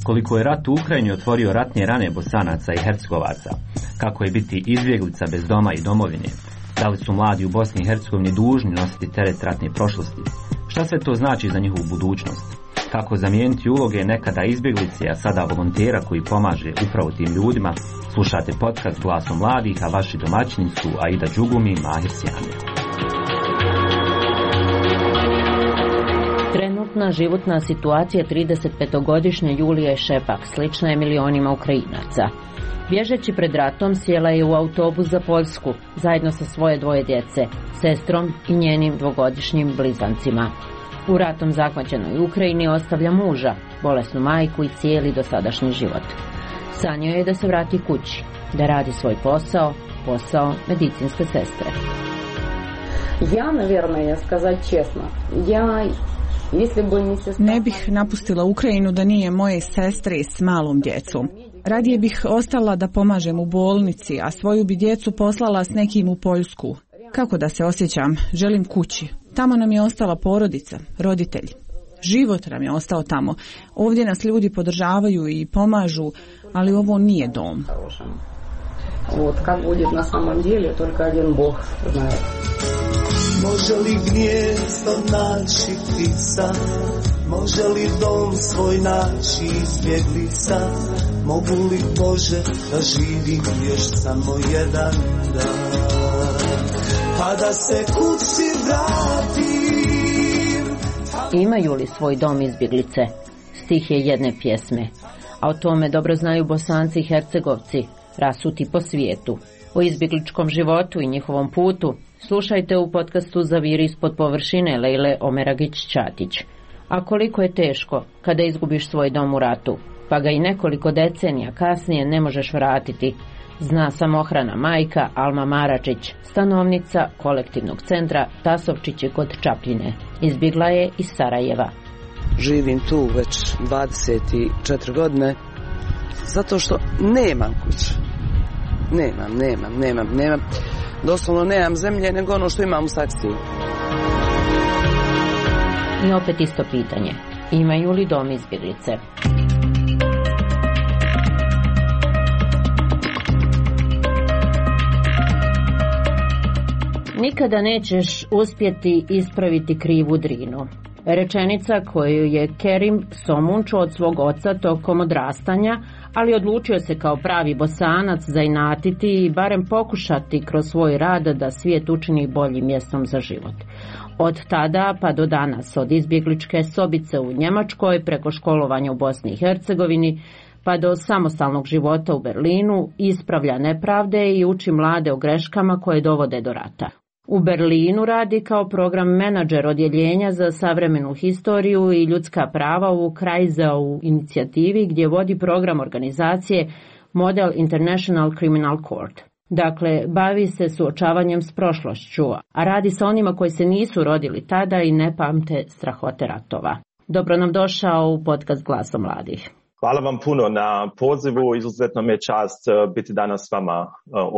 Koliko je rat u Ukrajini otvorio ratne rane Bosanaca i Hercegovaca, kako je biti izbjeglica bez doma i domovine, da li su mladi u Bosni i Hercegovini dužni nositi teret ratne prošlosti, šta sve to znači za njihovu budućnost, kako zamijeniti uloge nekada izbjeglice, a sada volontera koji pomaže upravo tim ljudima. Slušate podcast Glasom mladih, a vaši domaćini su Aida Đugumi i Mahir Sjamija. Trenutna životna situacija tridesetpetogodišnje Julije Šepak slična je milionima Ukrajinaca. Bježeći pred ratom sjela je u autobus za Poljsku zajedno sa svoje dvoje djece, sestrom i njenim dvogodišnjim blizancima. U ratom zahvaćenoj Ukrajini ostavlja muža, bolesnu majku i cijeli dosadašnji život. Sanjao je da se vrati kući, da radi svoj posao, posao medicinske sestre. Ja, naверное, сказать честно, я Ne bih napustila Ukrajinu da nije moje sestre s malom djecom. Radije bih ostala da pomažem u bolnici, a svoju bi djecu poslala s nekim u Poljsku. Kako da se osjećam? Želim kući. Tamo nam je ostala porodica, roditelji. Život nam je ostao tamo. Ovdje nas ljudi podržavaju i pomažu, ali ovo nije dom. Вот как будет на самом деле, только один Бог знает. Može li gnijezdo naći ptica, može li dom svoj naći izbjeglica, mogu li Bože da živim još samo jedan dan, pa da se kući vratim. Imaju li svoj dom izbjeglice? Stih je jedne pjesme, a o tome dobro znaju Bosanci i Hercegovci, rasuti po svijetu. O izbjegličkom životu i njihovom putu slušajte u podcastu Zaviri ispod površine Lejle Omeragić-Ćatić. A koliko je teško kada izgubiš svoj dom u ratu, pa ga i nekoliko decenija kasnije ne možeš vratiti, zna samohrana majka Alma Maračić, stanovnica kolektivnog centra Tasovčići kod Čapljine. Izbjegla je iz Sarajeva. Živim tu već dvadeset četiri godine zato što nemam kuću. Nemam, nemam, nemam, nemam. Doslovno nemam zemlje nego ono što imam u sakstiju. I opet isto pitanje. Imaju li dom izbjeglice? Nikada nećeš uspjeti ispraviti krivu Drinu. Rečenica koju je Kerim Somunčo od svog oca tokom odrastanja, ali odlučio se kao pravi Bosanac zainatiti i barem pokušati kroz svoj rad da svijet učini boljim mjestom za život. Od tada pa do danas, od izbjegličke sobice u Njemačkoj preko školovanja u Bosni i Hercegovini pa do samostalnog života u Berlinu, ispravlja nepravde i uči mlade o greškama koje dovode do rata. U Berlinu radi kao program menadžer odjeljenja za savremenu historiju i ljudska prava u Kreisau inicijativi gdje vodi program organizacije Model International Criminal Court. Dakle, bavi se suočavanjem s prošlošću, a radi sa onima koji se nisu rodili tada i ne pamte strahote ratova. Dobro nam došao u podcast Glasom mladih. Hvala vam puno na pozivu, izuzetno mi je čast biti danas s vama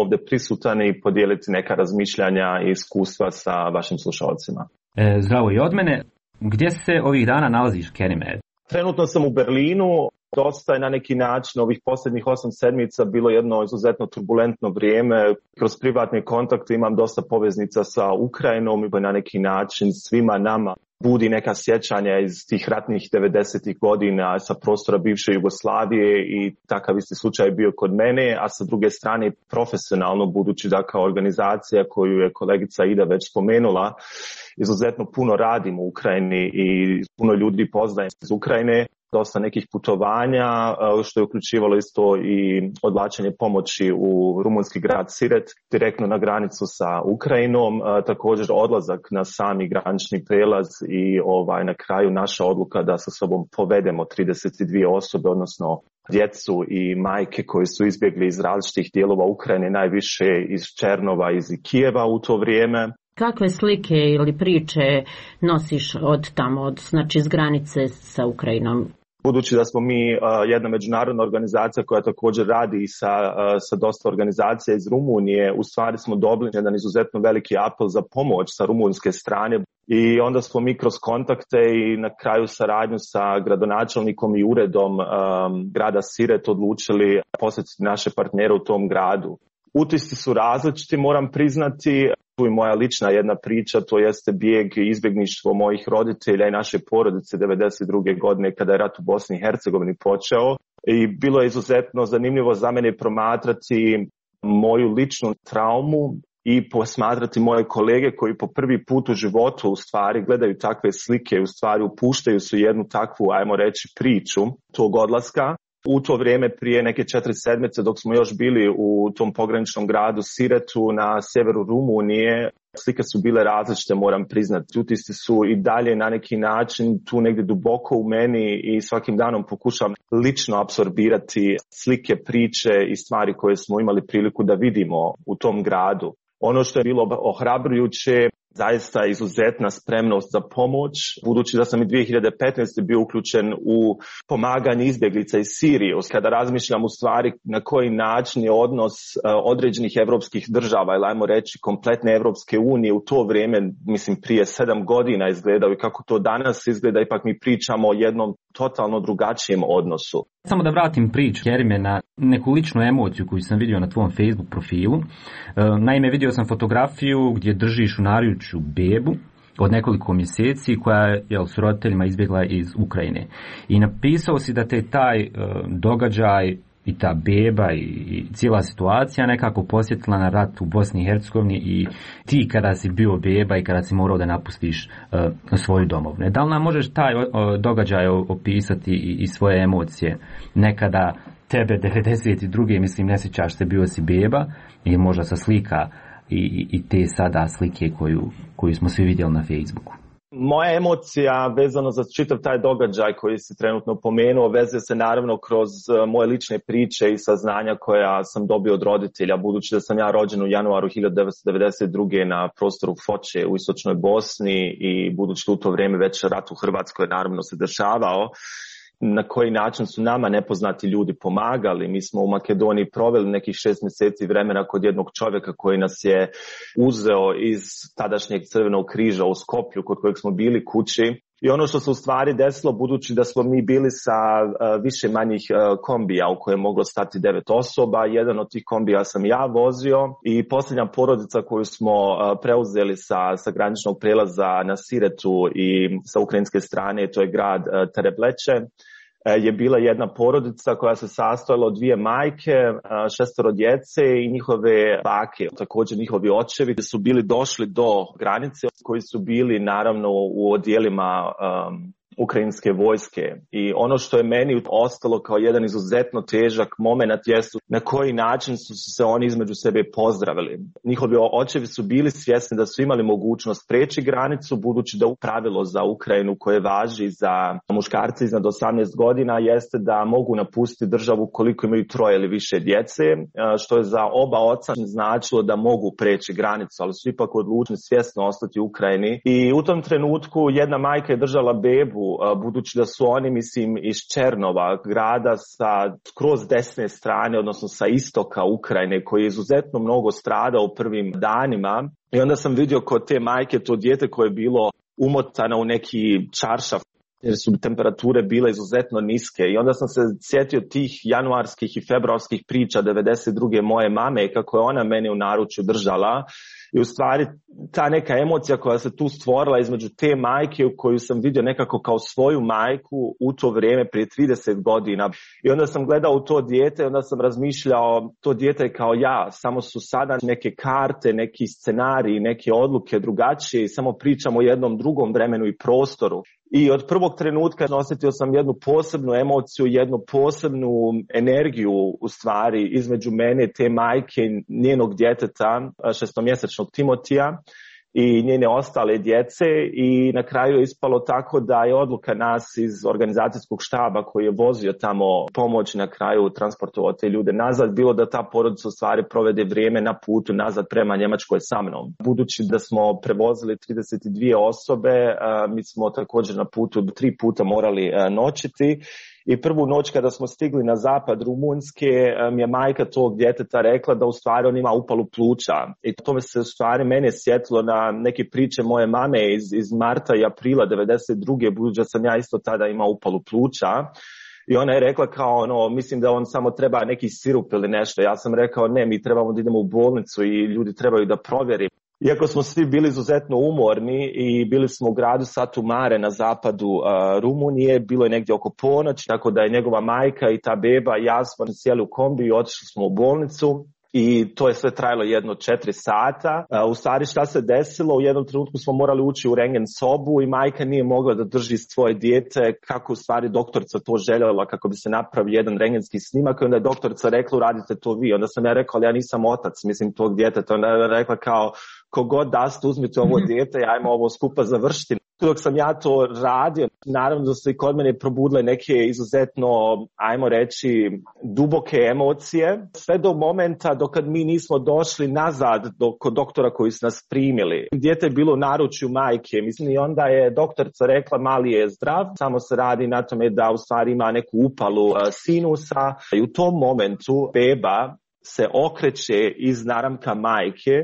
ovdje prisutan i podijeliti neka razmišljanja i iskustva sa vašim slušalcima. E, zdravo i od mene. Gdje se ovih dana nalaziš, Kerime? Trenutno sam u Berlinu, Dosta je na neki način ovih posljednjih osam sedmica bilo jedno izuzetno turbulentno vrijeme. Kroz privatne kontakte imam dosta poveznica sa Ukrajinom i na neki način svima nama budi neka sjećanja iz tih ratnih devedesetih godina sa prostora bivše Jugoslavije i takav isti slučaj bio kod mene, a sa druge strane profesionalno, budući da kao organizacija koju je kolegica Ida već spomenula, izuzetno puno radim u Ukrajini i puno ljudi poznajem iz Ukrajine, dosta nekih putovanja, što je uključivalo isto i odvlačenje pomoći u rumunski grad Siret, direktno na granicu sa Ukrajinom, također odlazak na sami granični prelaz i ovaj na kraju naša odluka da sa sobom povedemo trideset dvije osobe, odnosno djecu i majke koji su izbjegli iz različitih dijelova Ukrajine, najviše iz Černova, iz Kijeva u to vrijeme. Kakve slike ili priče nosiš od tamo, od, znači iz granice sa Ukrajinom? Budući da smo mi uh, jedna međunarodna organizacija koja također radi sa, uh, sa dosta organizacija iz Rumunije, u stvari smo dobili jedan izuzetno veliki apel za pomoć sa rumunjske strane i onda smo mi kroz kontakte i na kraju saradnju sa gradonačelnikom i uredom um, grada Siret odlučili posjetiti naše partnere u tom gradu. Utisci su različiti, moram priznati. Tu je moja lična jedna priča, to jeste bijeg i izbjegništvo mojih roditelja i naše porodice devedeset druge godine kada je rat u Bosni i Hercegovini počeo. I bilo je izuzetno zanimljivo za mene promatrati moju ličnu traumu i posmatrati moje kolege koji po prvi put u životu u stvari gledaju takve slike, u stvari upuštaju su jednu takvu, ajmo reći, priču tog odlaska. U to vrijeme prije neke četiri sedmice dok smo još bili u tom pograničnom gradu Siretu na sjeveru Rumunije, slike su bile različite, moram priznati. Utisci su i dalje na neki način tu negdje duboko u meni i svakim danom pokušam lično apsorbirati slike, priče i stvari koje smo imali priliku da vidimo u tom gradu. Ono što je bilo ohrabrujuće, zaista izuzetna spremnost za pomoć, budući da sam i dvije hiljade petnaeste. bio uključen u pomaganje izbjeglica iz Sirije. Kada razmišljam u stvari na koji način je odnos određenih evropskih država, ili ajmo reći kompletne Evropske unije u to vrijeme, mislim prije sedam godina izgledao i kako to danas izgleda, ipak mi pričamo o jednom totalno drugačijem odnosu. Samo da vratim priču, Kerime, na neku ličnu emociju koju sam vidio na tvom Facebook profilu. Naime, vidio sam fotografiju gdje držiš u naručju bebu od nekoliko mjeseci koja je jel, s roditeljima izbjegla iz Ukrajine. I napisao si da te taj uh, događaj i ta beba i, i cijela situacija nekako posjetila na rat u Bosni i Hercegovini i ti kada si bio beba i kada si morao da napustiš uh, svoju domovinu. Da li nam možeš taj uh, događaj opisati i, i svoje emocije? Nekada tebe devedeset druge. mislim ne sjećaš se, bio si beba i možda sa slika i, i te sada slike koju, koju smo svi vidjeli na Facebooku. Moja emocija vezano za čitav taj događaj koji si trenutno pomenuo vezuje se naravno kroz moje lične priče i saznanja koja sam dobio od roditelja, budući da sam ja rođen u januaru hiljadu devetsto devedeset druge. na prostoru Foče u istočnoj Bosni i budući da u to vrijeme već rat u Hrvatskoj naravno se dešavao. Na koji način su nama nepoznati ljudi pomagali. Mi smo u Makedoniji proveli nekih šest mjeseci vremena kod jednog čovjeka koji nas je uzeo iz tadašnjeg Crvenog križa u Skoplju, kod kojeg smo bili kući. I ono što se u stvari desilo, budući da smo mi bili sa uh, više manjih uh, kombija u koje je moglo stati devet osoba, jedan od tih kombija sam ja vozio i posljednja porodica koju smo uh, preuzeli sa, sa graničnog prelaza na Siretu i sa ukrajinske strane, to je grad uh, Terebleče, je bila jedna porodica koja se sastojala od dvije majke, šestero djece i njihove bake. Također njihovi očevi su bili došli do granice koji su bili naravno u odjelima um, ukrajinske vojske. I ono što je meni ostalo kao jedan izuzetno težak moment jesu na koji način su se oni između sebe pozdravili. Njihovi očevi su bili svjesni da su imali mogućnost preći granicu, budući da pravilo za Ukrajinu koje važi za muškarce iznad osamnaest godina jeste da mogu napustiti državu koliko imaju troje ili više djece, što je za oba oca značilo da mogu preći granicu, ali su ipak odlučili svjesno ostati u Ukrajini. I u tom trenutku jedna majka je držala bebu, budući da su oni, mislim, iz Černova, grada sa skroz desne strane, odnosno sa istoka Ukrajine, koji je izuzetno mnogo stradao u prvim danima. I onda sam vidio kod te majke to dijete koje je bilo umotano u neki čaršaf. jer su temperature bile izuzetno niske i onda sam se sjetio tih januarskih i februarskih priča devedeset druge moje mame kako je ona meni u naručju držala i u stvari ta neka emocija koja se tu stvorila između te majke u koju sam vidio nekako kao svoju majku u to vrijeme prije trideset godina i onda sam gledao u to dijete i onda sam razmišljao to dijete je kao ja, samo su sada neke karte, neki scenariji, neke odluke drugačije i samo pričamo o jednom drugom vremenu i prostoru. I od prvog trenutka osjetio sam jednu posebnu emociju, jednu posebnu energiju u stvari između mene, te majke, njenog djeteta, šestomjesečnog Timotija i njene ostale djece i na kraju je ispalo tako da je odluka nas iz organizacijskog štaba koji je vozio tamo pomoć na kraju transportovao te ljude nazad, bilo da ta porodica u stvari provede vrijeme na putu nazad prema Njemačkoj sa mnom. Budući da smo prevozili trideset dvije osobe, mi smo također na putu tri puta morali noćiti. I prvu noć kada smo stigli na zapad Rumunjske, mi je majka tog djeteta rekla da u stvari on ima upalu pluća. I to me se u stvari mene sjetilo na neke priče moje mame iz, iz marta i aprila devedeset druge budući da sam ja isto tada imao upalu pluća. I ona je rekla kao ono, mislim da on samo treba neki sirup ili nešto. Ja sam rekao ne, mi trebamo da idemo u bolnicu i ljudi trebaju da provjeri. Iako smo svi bili izuzetno umorni i bili smo u gradu Satu Mare na zapadu uh, Rumunije, bilo je negdje oko ponoć, tako da je njegova majka i ta beba i ja smo sjeli u kombi i otišli smo u bolnicu. I to je sve trajalo jedno četiri sata. Uh, u stvari šta se desilo, u jednom trenutku smo morali ući u rengen sobu i majka nije mogla da drži svoje dijete kako u stvari doktorica to željela kako bi se napravio jedan rengenski snimak i onda je doktorica rekla uradite to vi. Onda sam ja rekao ali ja nisam otac, mislim tog djeteta. Onda je rekla kao kogod daste uzmite ovo dijete i ajmo ovo skupa završiti. Dok sam ja to radio, naravno da su i kod mene probudile neke izuzetno, ajmo reći, duboke emocije. Sve do momenta dok mi nismo došli nazad do, kod doktora koji su nas primili. Dijete je bilo u naručju majke. Mislim i onda je doktorica rekla mali je zdrav, samo se radi na tome da u stvari ima neku upalu uh, sinusa. I u tom momentu beba se okreće iz naramka majke,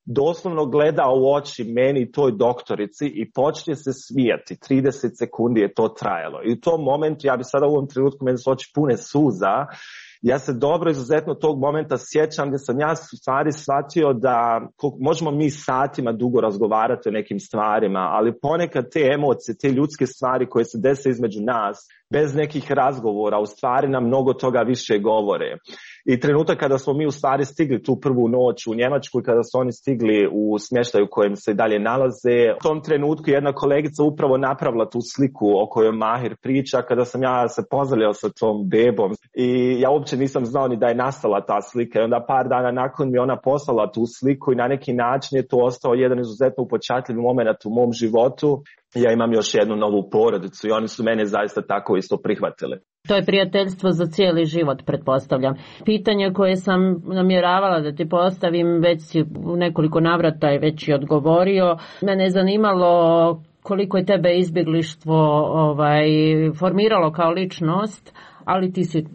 doslovno gleda u oči meni i toj doktorici i počne se smijati. trideset sekundi je to trajalo. I u tom momentu, ja bi sada u ovom trenutku, meni su oči pune suza, ja se dobro izuzetno tog momenta sjećam gdje sam ja u stvari shvatio da možemo mi satima dugo razgovarati o nekim stvarima, ali ponekad te emocije, te ljudske stvari koje se dese između nas, bez nekih razgovora, u stvari nam mnogo toga više govore. I trenutak kada smo mi u stvari stigli tu prvu noć u Njemačku i kada su oni stigli u smještaju u kojem se i dalje nalaze, u tom trenutku jedna kolegica upravo napravila tu sliku o kojoj Mahir priča kada sam ja se pozdravljao sa tom bebom i ja uopće nisam znao ni da je nastala ta slika i onda par dana nakon mi ona poslala tu sliku i na neki način je to ostao jedan izuzetno upečatljiv moment u mom životu. Ja imam još jednu novu porodicu i oni su mene zaista tako isto prihvatili. To je prijateljstvo za cijeli život, pretpostavljam. Pitanje koje sam namjeravala da ti postavim, već si u nekoliko navrata je već i odgovorio. Mene je zanimalo koliko je tebe izbjeglištvo ovaj, formiralo kao ličnost, ali ti si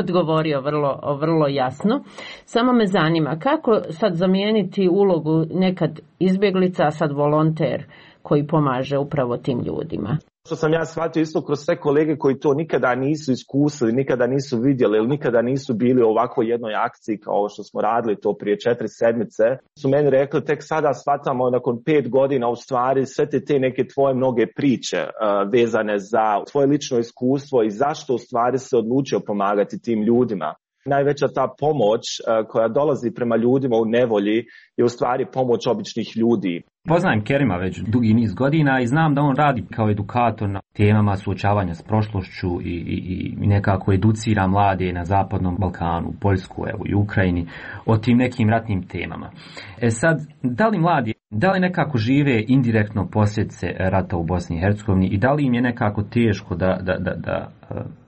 odgovorio vrlo, vrlo jasno. Samo me zanima kako sad zamijeniti ulogu nekad izbjeglica, a sad volonter koji pomaže upravo tim ljudima. Što sam ja shvatio isto kroz sve kolege koji to nikada nisu iskusili, nikada nisu vidjeli ili nikada nisu bili u ovakvoj jednoj akciji kao što smo radili to prije četiri sedmice, su meni rekli tek sada shvatamo nakon pet godina u stvari sve te, te neke tvoje mnoge priče uh, vezane za tvoje lično iskustvo i zašto u stvari se odlučio pomagati tim ljudima. Najveća ta pomoć uh, koja dolazi prema ljudima u nevolji je u stvari pomoć običnih ljudi. Poznajem Kerima već dugi niz godina i znam da on radi kao edukator na temama suočavanja s prošlošću i, i, i nekako educira mlade na Zapadnom Balkanu, Poljsku, evo i Ukrajini o tim nekim ratnim temama. E sad, da li mladi, da li nekako žive indirektno posljedice rata u Bosni i Hercegovini i da li im je nekako teško da, da, da, da,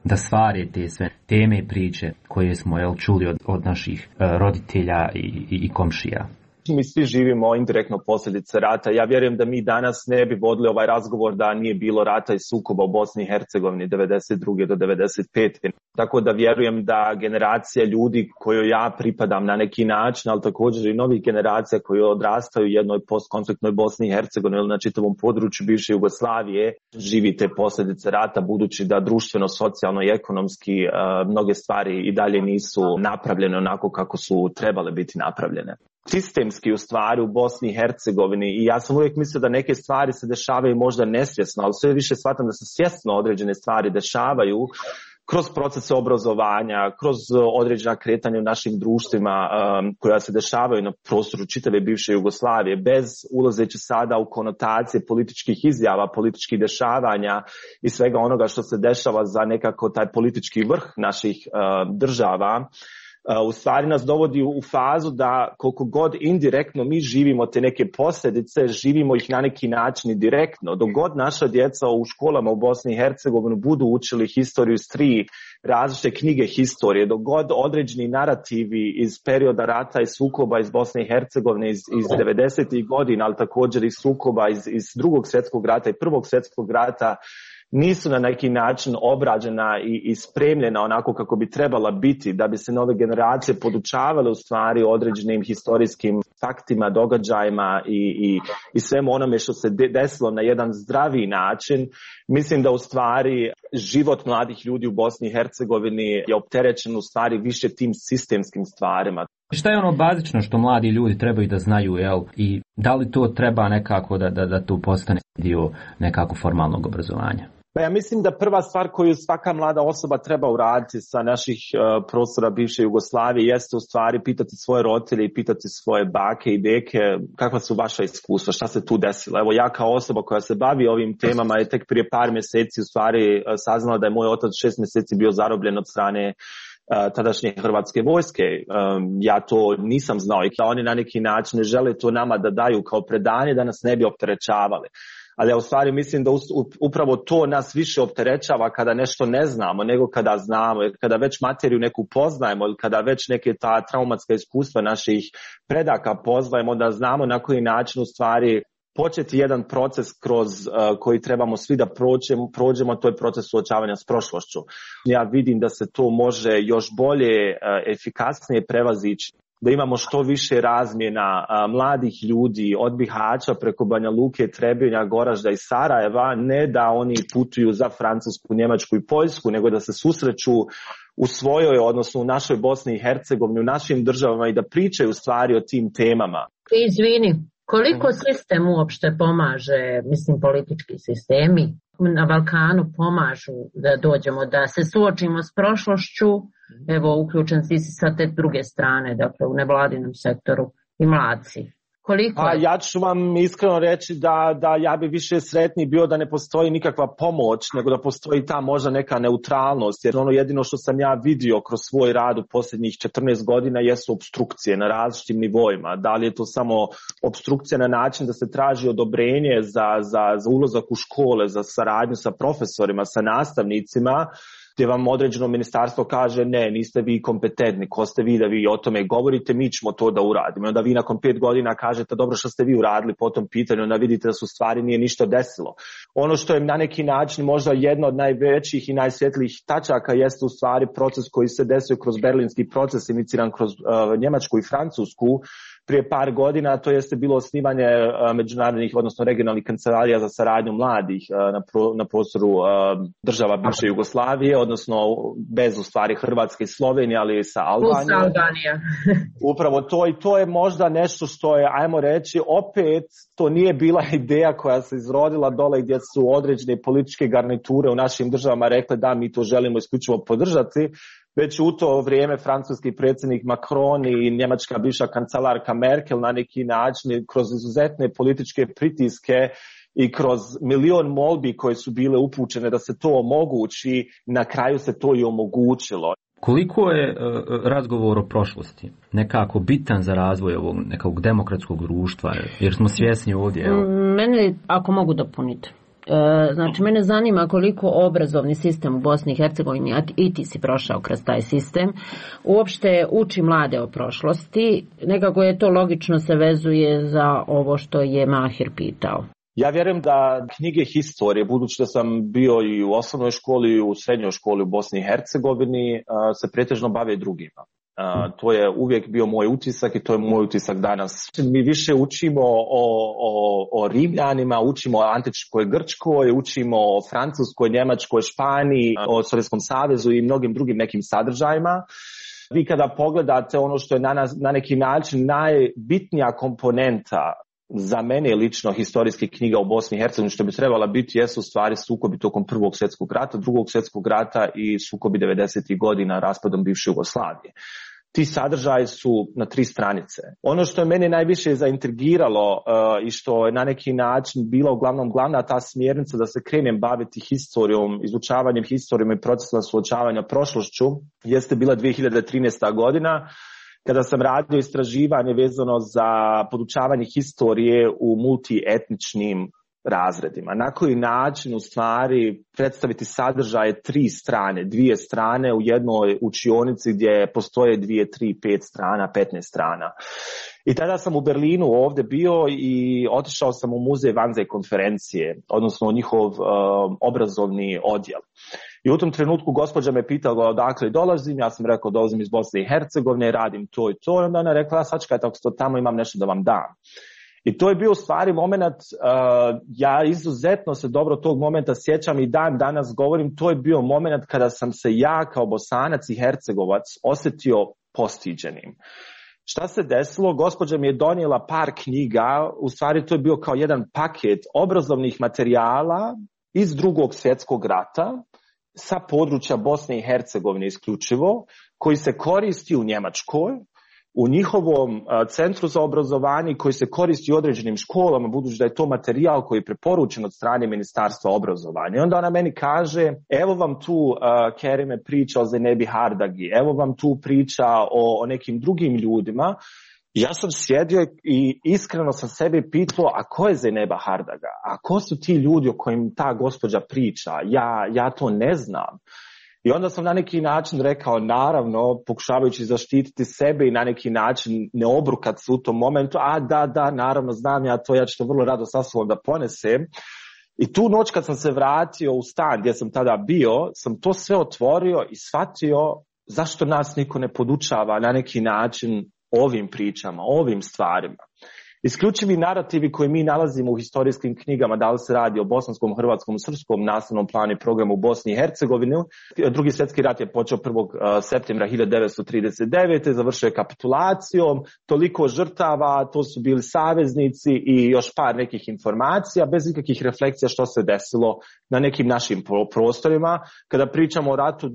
da stvari te sve teme i priče koje smo jel, čuli od, od naših roditelja i, i, i komšija? Mi svi živimo indirektno posljedice rata. Ja vjerujem da mi danas ne bi vodili ovaj razgovor da nije bilo rata i sukoba u Bosni i Hercegovini devedeset druge do devedeset pete Tako da vjerujem da generacija ljudi kojoj ja pripadam na neki način, ali također i novih generacija koji odrastaju u jednoj postkonfliktnoj Bosni i Hercegovini ili na čitavom području bivše Jugoslavije, živi te posljedice rata, budući da društveno, socijalno i ekonomski uh, mnoge stvari i dalje nisu napravljene onako kako su trebale biti napravljene. Sistemski u stvari u Bosni i Hercegovini, i ja sam uvijek mislio da neke stvari se dešavaju možda nesvjesno, ali sve više shvatam da se svjesno određene stvari dešavaju kroz procese obrazovanja, kroz određena kretanja u našim društvima um, koja se dešavaju na prostoru čitave bivše Jugoslavije, bez ulazeći sada u konotacije političkih izjava, političkih dešavanja i svega onoga što se dešava za nekako taj politički vrh naših uh, država. U stvari nas dovodi u fazu da koliko god indirektno mi živimo te neke posljedice, živimo ih na neki način i direktno. Dok god naša djeca u školama u Bosni i Hercegovini budu učili historiju iz tri različite knjige historije, dok god određeni narativi iz perioda rata i sukoba iz Bosne i Hercegovine iz, iz devedesetih godina, ali također i sukoba iz, iz drugog svjetskog rata i prvog svjetskog rata, nisu na neki način obrađena i, i spremljena onako kako bi trebala biti, da bi se nove generacije podučavale u stvari određenim historijskim faktima, događajima i, i, i svemu onome što se desilo na jedan zdraviji način. Mislim da u stvari život mladih ljudi u Bosni i Hercegovini je opterećen u stvari više tim sistemskim stvarima. Šta je ono bazično što mladi ljudi trebaju da znaju, jel? I da li to treba nekako da, da, da to postane dio nekako formalnog obrazovanja? Pa ja mislim da prva stvar koju svaka mlada osoba treba uraditi sa naših uh, prostora bivše Jugoslavije jeste u stvari pitati svoje roditelje i pitati svoje bake i deke kakva su vaša iskustva, šta se tu desilo. Evo ja kao osoba koja se bavi ovim temama je tek prije par mjeseci u stvari uh, saznala da je moj otac šest mjeseci bio zarobljen od strane Uh, tadašnje hrvatske vojske. Um, ja to nisam znao i oni na neki način ne žele to nama da daju kao predanje da nas ne bi opterećavali. Ali ja u stvari mislim da upravo to nas više opterećava kada nešto ne znamo nego kada znamo, jer kada već materiju neku poznajemo ili kada već neke ta traumatska iskustva naših predaka poznajemo, da znamo na koji način u stvari početi jedan proces kroz uh, koji trebamo svi da prođemo, prođemo, to je proces suočavanja s prošlošću. Ja vidim da se to može još bolje, uh, efikasnije prevazići, da imamo što više razmjena uh, mladih ljudi od Bihaća preko Banja Luke, Trebinja, Goražda i Sarajeva, ne da oni putuju za Francusku, Njemačku i Poljsku, nego da se susreću u svojoj, odnosno u našoj Bosni i Hercegovini, u našim državama i da pričaju stvari o tim temama. Izvini. Koliko sistem uopšte pomaže, mislim politički sistemi na Balkanu pomažu da dođemo, da se suočimo s prošlošću, evo uključen si sa te druge strane, dakle u nevladinom sektoru i mladci. Koliko? A ja ću vam iskreno reći da, da ja bi više sretniji bio da ne postoji nikakva pomoć, nego da postoji ta možda neka neutralnost, jer ono jedino što sam ja vidio kroz svoj rad u posljednjih četrnaest godina jesu opstrukcije na različitim nivoima. Da li je to samo opstrukcija na način da se traži odobrenje za, za, za ulazak u škole, za saradnju sa profesorima, sa nastavnicima, gdje vam određeno ministarstvo kaže ne, niste vi kompetentni, ko ste vi da vi o tome govorite, mi ćemo to da uradimo. Onda vi nakon pet godina kažete dobro što ste vi uradili po tom pitanju, onda vidite da su stvari nije ništa desilo. Ono što je na neki način možda jedno od najvećih i najsvjetlijih tačaka jeste u stvari proces koji se desio kroz berlinski proces iniciran kroz uh, Njemačku i Francusku prije par godina, to jeste bilo osnivanje uh, međunarodnih, odnosno regionalnih kancelarija za saradnju mladih uh, na, pro, na prostoru uh, država bivše Jugoslavije, odnosno bez u stvari Hrvatske i Slovenije, ali sa Albanijom. Albanija. Upravo to i to je možda nešto što je, ajmo reći, opet to nije bila ideja koja se izrodila dole gdje su određene političke garniture u našim državama rekle da mi to želimo isključivo podržati, već u to vrijeme francuski predsjednik Macron i njemačka bivša kancelarka Merkel na neki način kroz izuzetne političke pritiske i kroz milion molbi koje su bile upućene da se to omogući, na kraju se to i omogućilo. Koliko je uh, razgovor o prošlosti nekako bitan za razvoj ovog nekog demokratskog društva, jer smo svjesni ovdje? Evo. Mene, ako mogu dopuniti, Znači, mene zanima koliko obrazovni sistem u Bosni i Hercegovini, a i ti si prošao kroz taj sistem, uopšte uči mlade o prošlosti. Nekako je to logično se vezuje za ovo što je Mahir pitao. Ja vjerujem da knjige historije, budući da sam bio i u osnovnoj školi i u srednjoj školi u Bosni i Hercegovini, se pretežno bave drugima. Uh, to je uvijek bio moj utisak i to je moj utisak danas. Mi više učimo o, o, o Rimljanima, učimo o antičkoj Grčkoj, učimo o Francuskoj, Njemačkoj, Španiji, o Sovjetskom savezu i mnogim drugim nekim sadržajima. Vi kada pogledate ono što je na, nas, na neki način najbitnija komponenta za mene lično historijskih knjiga u Bosni i Hercegovini, što bi trebala biti, jesu stvari sukobi tokom Prvog svjetskog rata, Drugog svjetskog rata i sukobi devedesetih godina raspadom bivše Jugoslavije. Ti sadržaji su na tri stranice. Ono što je mene najviše zaintrigiralo uh, i što je na neki način bila uglavnom glavna ta smjernica da se krenem baviti historijom, izučavanjem historijom i procesima suočavanja prošlošću, jeste bila dvije hiljade trinaesta godina, kada sam radio istraživanje vezano za podučavanje historije u multietničnim razredima. Na koji način u stvari predstaviti sadržaje tri strane, dvije strane u jednoj učionici gdje postoje dvije, tri, pet strana, petnaest strana. I tada sam u Berlinu ovdje bio i otišao sam u muzej Wannsee konferencije, odnosno njihov uh, obrazovni odjel. I u tom trenutku gospođa me pitala odakle dolazim, ja sam rekao dolazim iz Bosne i Hercegovine, radim to i to, i onda ona rekla, sačekajte, ako ste tamo imam nešto da vam dam. I to je bio u stvari moment, uh, ja izuzetno se dobro tog momenta sjećam i dan danas govorim, to je bio moment kada sam se ja kao Bosanac i Hercegovac osjetio postiđenim. Šta se desilo? Gospođa mi je donijela par knjiga, u stvari to je bio kao jedan paket obrazovnih materijala iz Drugog svjetskog rata, sa područja Bosne i Hercegovine isključivo, koji se koristi u Njemačkoj, u njihovom centru za obrazovanje, koji se koristi u određenim školama, budući da je to materijal koji je preporučen od strane Ministarstva obrazovanja. I onda ona meni kaže, evo vam tu uh, Kerime priča o Zenebi Hardagi, evo vam tu priča o, o nekim drugim ljudima. Ja sam sjedio i iskreno sam sebi pitao, a ko je Zeneba Hardaga? A ko su ti ljudi o kojim ta gospođa priča? Ja, ja to ne znam. I onda sam na neki način rekao, naravno, pokušavajući zaštititi sebe i na neki način ne obrukat se u tom momentu, a da, da, naravno, znam ja to, ja ću to vrlo rado sa sobom da ponesem. I tu noć kad sam se vratio u stan gdje sam tada bio, sam to sve otvorio i shvatio zašto nas niko ne podučava na neki način ovim pričama, ovim stvarima. Isključivi narativi koje mi nalazimo u historijskim knjigama, da li se radi o bosanskom, hrvatskom, srpskom nastavnom planu i programu u Bosni i Hercegovini. Drugi svjetski rat je počeo prvog septembra hiljadu devetsto trideset devete. završio je kapitulacijom, toliko žrtava, to su bili saveznici i još par nekih informacija, bez ikakvih refleksija što se desilo na nekim našim prostorima. Kada pričamo o ratu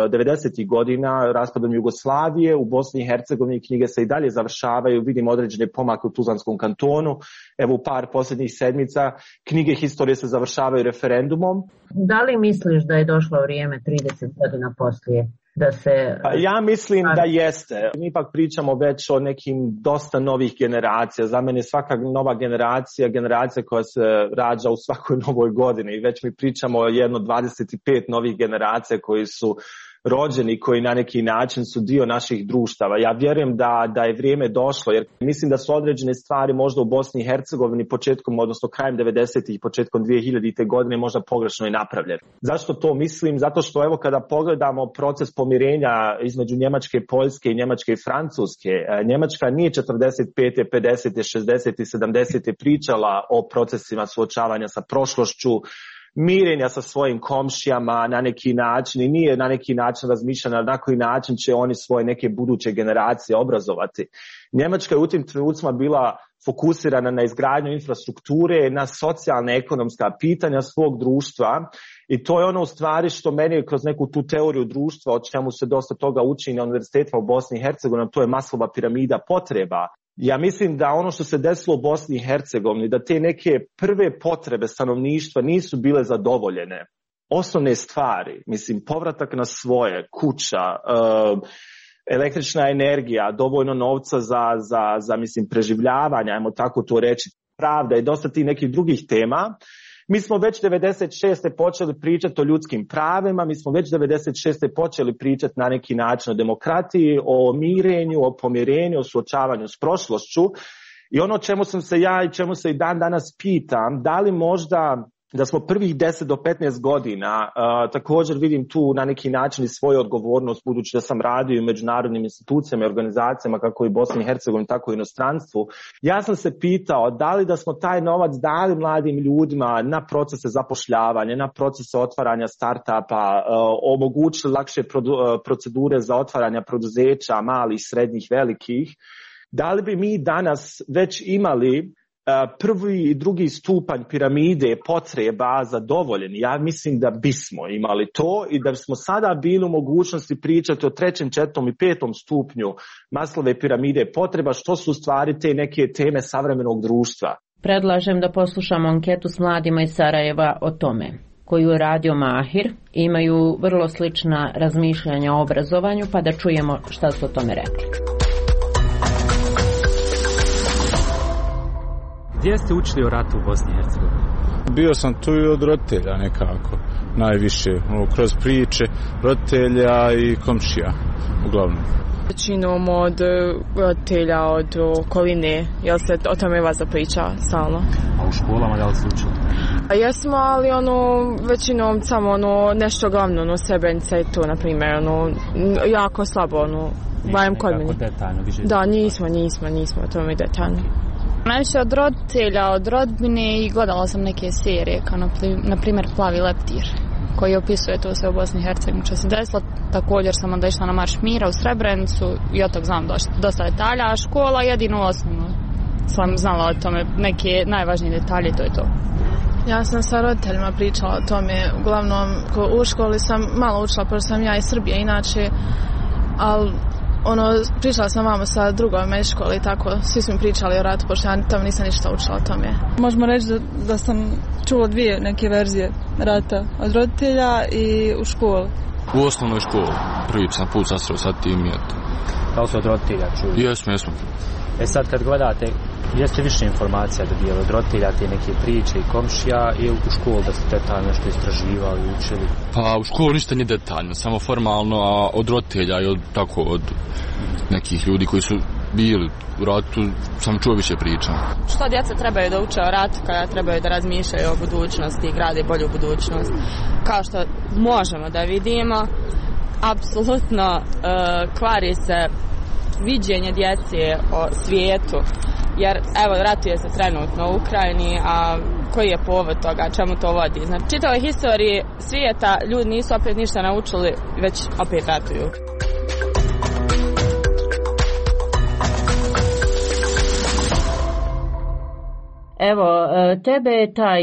devedesetih godina, raspadom Jugoslavije, u Bosni i Hercegovini knjige se i dalje završavaju, vidimo određene pomake u Tuzlanskom kantonu, evo u par posljednjih sedmica, knjige historije se završavaju referendumom. Da li misliš da je došlo vrijeme trideset godina poslije da se... Ja mislim da jeste. Mi ipak pričamo već o nekim dosta novih generacija. Za mene svaka nova generacija, generacija koja se rađa u svakoj novoj godini. I već mi pričamo o jedno dvadeset pet novih generacija koji su rođeni, koji na neki način su dio naših društava. Ja vjerujem da, da je vrijeme došlo, jer mislim da su određene stvari možda u Bosni i Hercegovini početkom, odnosno krajem devedesetih i početkom dvije hiljadite godine možda pogrešno i napravljene. Zašto to mislim? Zato što evo kada pogledamo proces pomirenja između Njemačke, Poljske i Njemačke i Francuske, Njemačka nije četrdeset pete, pedesete, šezdesete i sedamdesete pričala o procesima suočavanja sa prošlošću, mirenja sa svojim komšijama na neki način i nije na neki način razmišljena na koji način će oni svoje neke buduće generacije obrazovati. Njemačka je u tim trenucima bila fokusirana na izgradnju infrastrukture, na socijalne ekonomska pitanja svog društva i to je ono u stvari što meni kroz neku tu teoriju društva, o čemu se dosta toga uči na univerzitetima u Bosni i Hercegovini, to je Maslova piramida potreba. Ja mislim da ono što se desilo u Bosni i Hercegovini, da te neke prve potrebe stanovništva nisu bile zadovoljene. Osnovne stvari, mislim, povratak na svoje, kuća, uh, električna energija, dovoljno novca za, za, za mislim, preživljavanje, ajmo tako to reći, pravda i dosta tih nekih drugih tema. Mi smo već devedeset šeste počeli pričati o ljudskim pravima, mi smo već devedeset šeste počeli pričati na neki način o demokratiji, o mirenju, o pomirenju, o suočavanju s prošlošću. I ono čemu sam se ja i čemu se i dan danas pitam, da li možda da smo prvih deset do petnaest godina, uh, također vidim tu na neki način i svoju odgovornost, budući da sam radio u međunarodnim institucijama i organizacijama kako i Bosni i Hercegovini, tako i inostranstvu. Ja sam se pitao da li da smo taj novac dali mladim ljudima na procese zapošljavanja, na procese otvaranja startupa, uh, omogućili lakše produ- procedure za otvaranja preduzeća, malih, srednjih, velikih. Da li bi mi danas već imali prvi i drugi stupanj piramide potreba zadovoljeni? Ja mislim da bismo imali to i da bismo sada bili u mogućnosti pričati o trećem, četvrtom i petom stupnju Maslove piramide potreba, što su u stvari te neke teme savremenog društva. Predlažem da poslušamo anketu s mladima iz Sarajeva o tome, koju je radio Mahir. Imaju vrlo slična razmišljanja o obrazovanju, pa da čujemo šta su o tome rekli. Gdje ste učili o ratu u Bosni i Hercegovini? Bio sam tu i od roditelja nekako, najviše, kroz priče roditelja i komšija, uglavnom. Većinom od roditelja, od okoline, jel se o tome vas priča stalno? A u školama da li ste učili? A jesmo, ali ono, većinom samo ono, nešto glavno, ono, Srebrenica i to, na primjer, ono, jako slabo, ono, bajem kod mene. Detaljno, više da, nismo, nismo, nismo o tome detaljno. Najviše od roditelja, od rodbine i gledala sam neke serije, kao na primjer Plavi leptir, koji opisuje to sve u Bosni i Hercegovini što se desilo. Također sam onda išla na Marš mira u Srebrenicu i od tog znam dosta detalja, a škola jedino osnovno sam znala o tome, neke najvažnije detalje, to je to. Ja sam sa roditeljima pričala o tome, uglavnom u školi sam malo učila, pošto sam ja iz Srbije inače, ali ono, pričala sam vamo sa drugom iz škole i tako, svi smo pričali o ratu, pošto ja tamo nisam ništa učila o tome. Možemo reći da, da sam čula dvije neke verzije rata, od roditelja i u školi. U osnovnoj školi, prvi sam put sasreo sa tim i eto. Da li su od roditelja čuli? Jesmo, jesmo. E sad kad gledate, jeste više informacija da bijeli od roditelja, te neke priče i komšija, ili u školu da ste detaljno nešto istraživali, učili? Pa u školu ništa nije detaljno, samo formalno, a od roditelja i od, tako, od nekih ljudi koji su bili u ratu sam čuo više priča. Što djeca trebaju da uče o ratu kada trebaju da razmišljaju o budućnosti i grade bolju budućnost? Kao što možemo da vidimo, apsolutno uh, kvari se viđenje djece o svijetu, jer evo ratuje se trenutno u Ukrajini, a koji je povod toga, čemu to vodi? Znači, čitavoj historiji svijeta ljudi nisu opet ništa naučili, već opet ratuju. Evo, tebe je taj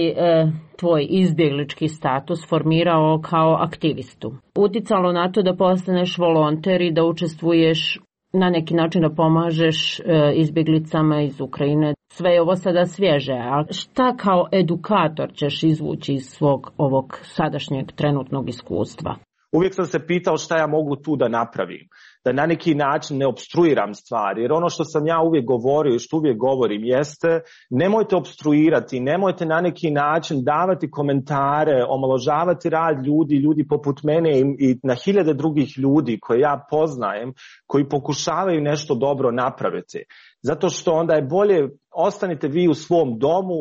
tvoj izbjeglički status formirao kao aktivistu. Uticalo na to da postaneš volonter i da učestvuješ na neki način, da pomažeš izbjeglicama iz Ukrajine. Sve je ovo sada svježe, a šta kao edukator ćeš izvući iz svog ovog sadašnjeg trenutnog iskustva? Uvijek sam se pitao šta ja mogu tu da napravim, da na neki način ne opstruiram stvari, jer ono što sam ja uvijek govorio i što uvijek govorim jeste, nemojte opstruirati, nemojte na neki način davati komentare, omaložavati rad ljudi, ljudi poput mene i, i na hiljade drugih ljudi koje ja poznajem, koji pokušavaju nešto dobro napraviti. Zato što onda je bolje, ostanite vi u svom domu,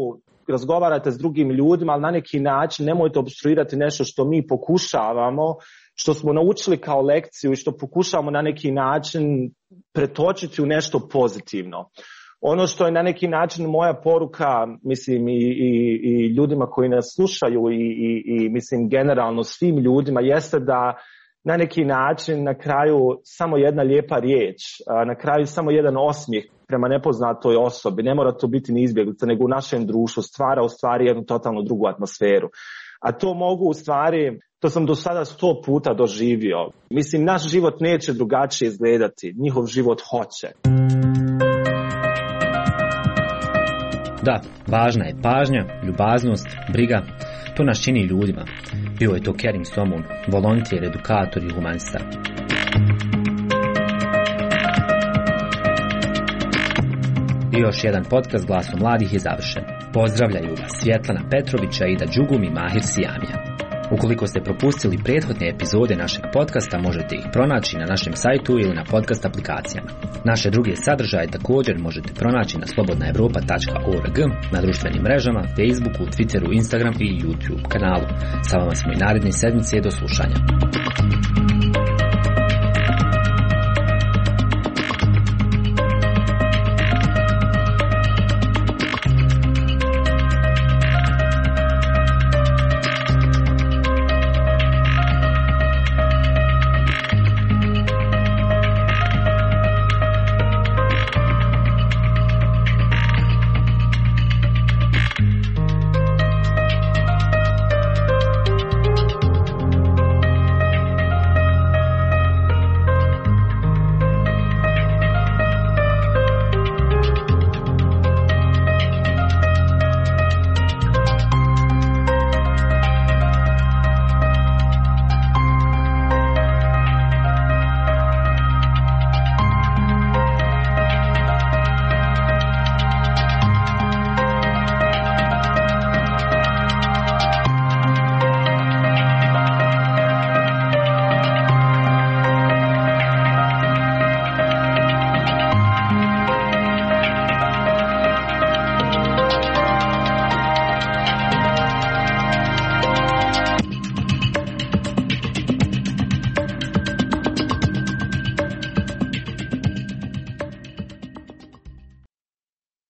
razgovarate s drugim ljudima, ali na neki način nemojte opstruirati nešto što mi pokušavamo, što smo naučili kao lekciju i što pokušavamo na neki način pretočiti u nešto pozitivno. Ono što je na neki način moja poruka, mislim, i, i, i ljudima koji nas slušaju i, i, i mislim generalno svim ljudima, jeste da na neki način na kraju samo jedna lijepa riječ, na kraju samo jedan osmijeh prema nepoznatoj osobi, ne mora to biti ni izbjeglica, nego u našem društvu stvara u stvari jednu totalno drugu atmosferu. A to mogu u stvari, to sam do sada sto puta doživio. Mislim, naš život neće drugačije izgledati, njihov život hoće. Da, važna je pažnja, ljubaznost, briga. To nas čini ljudima. Bio je to Kerim Somun, volonter, edukator i humanista. I još jedan podcast Glasom mladih je završen. Pozdravljaju vas Svjetlana Petrovića, Ida Đugum i Mahir Sijamija. Ukoliko ste propustili prethodne epizode našeg podcasta, možete ih pronaći na našem sajtu ili na podcast aplikacijama. Naše druge sadržaje također možete pronaći na slobodna evropa tačka org, na društvenim mrežama, Facebooku, Twitteru, Instagram i YouTube kanalu. Sa vama smo i naredne sedmice, do slušanja.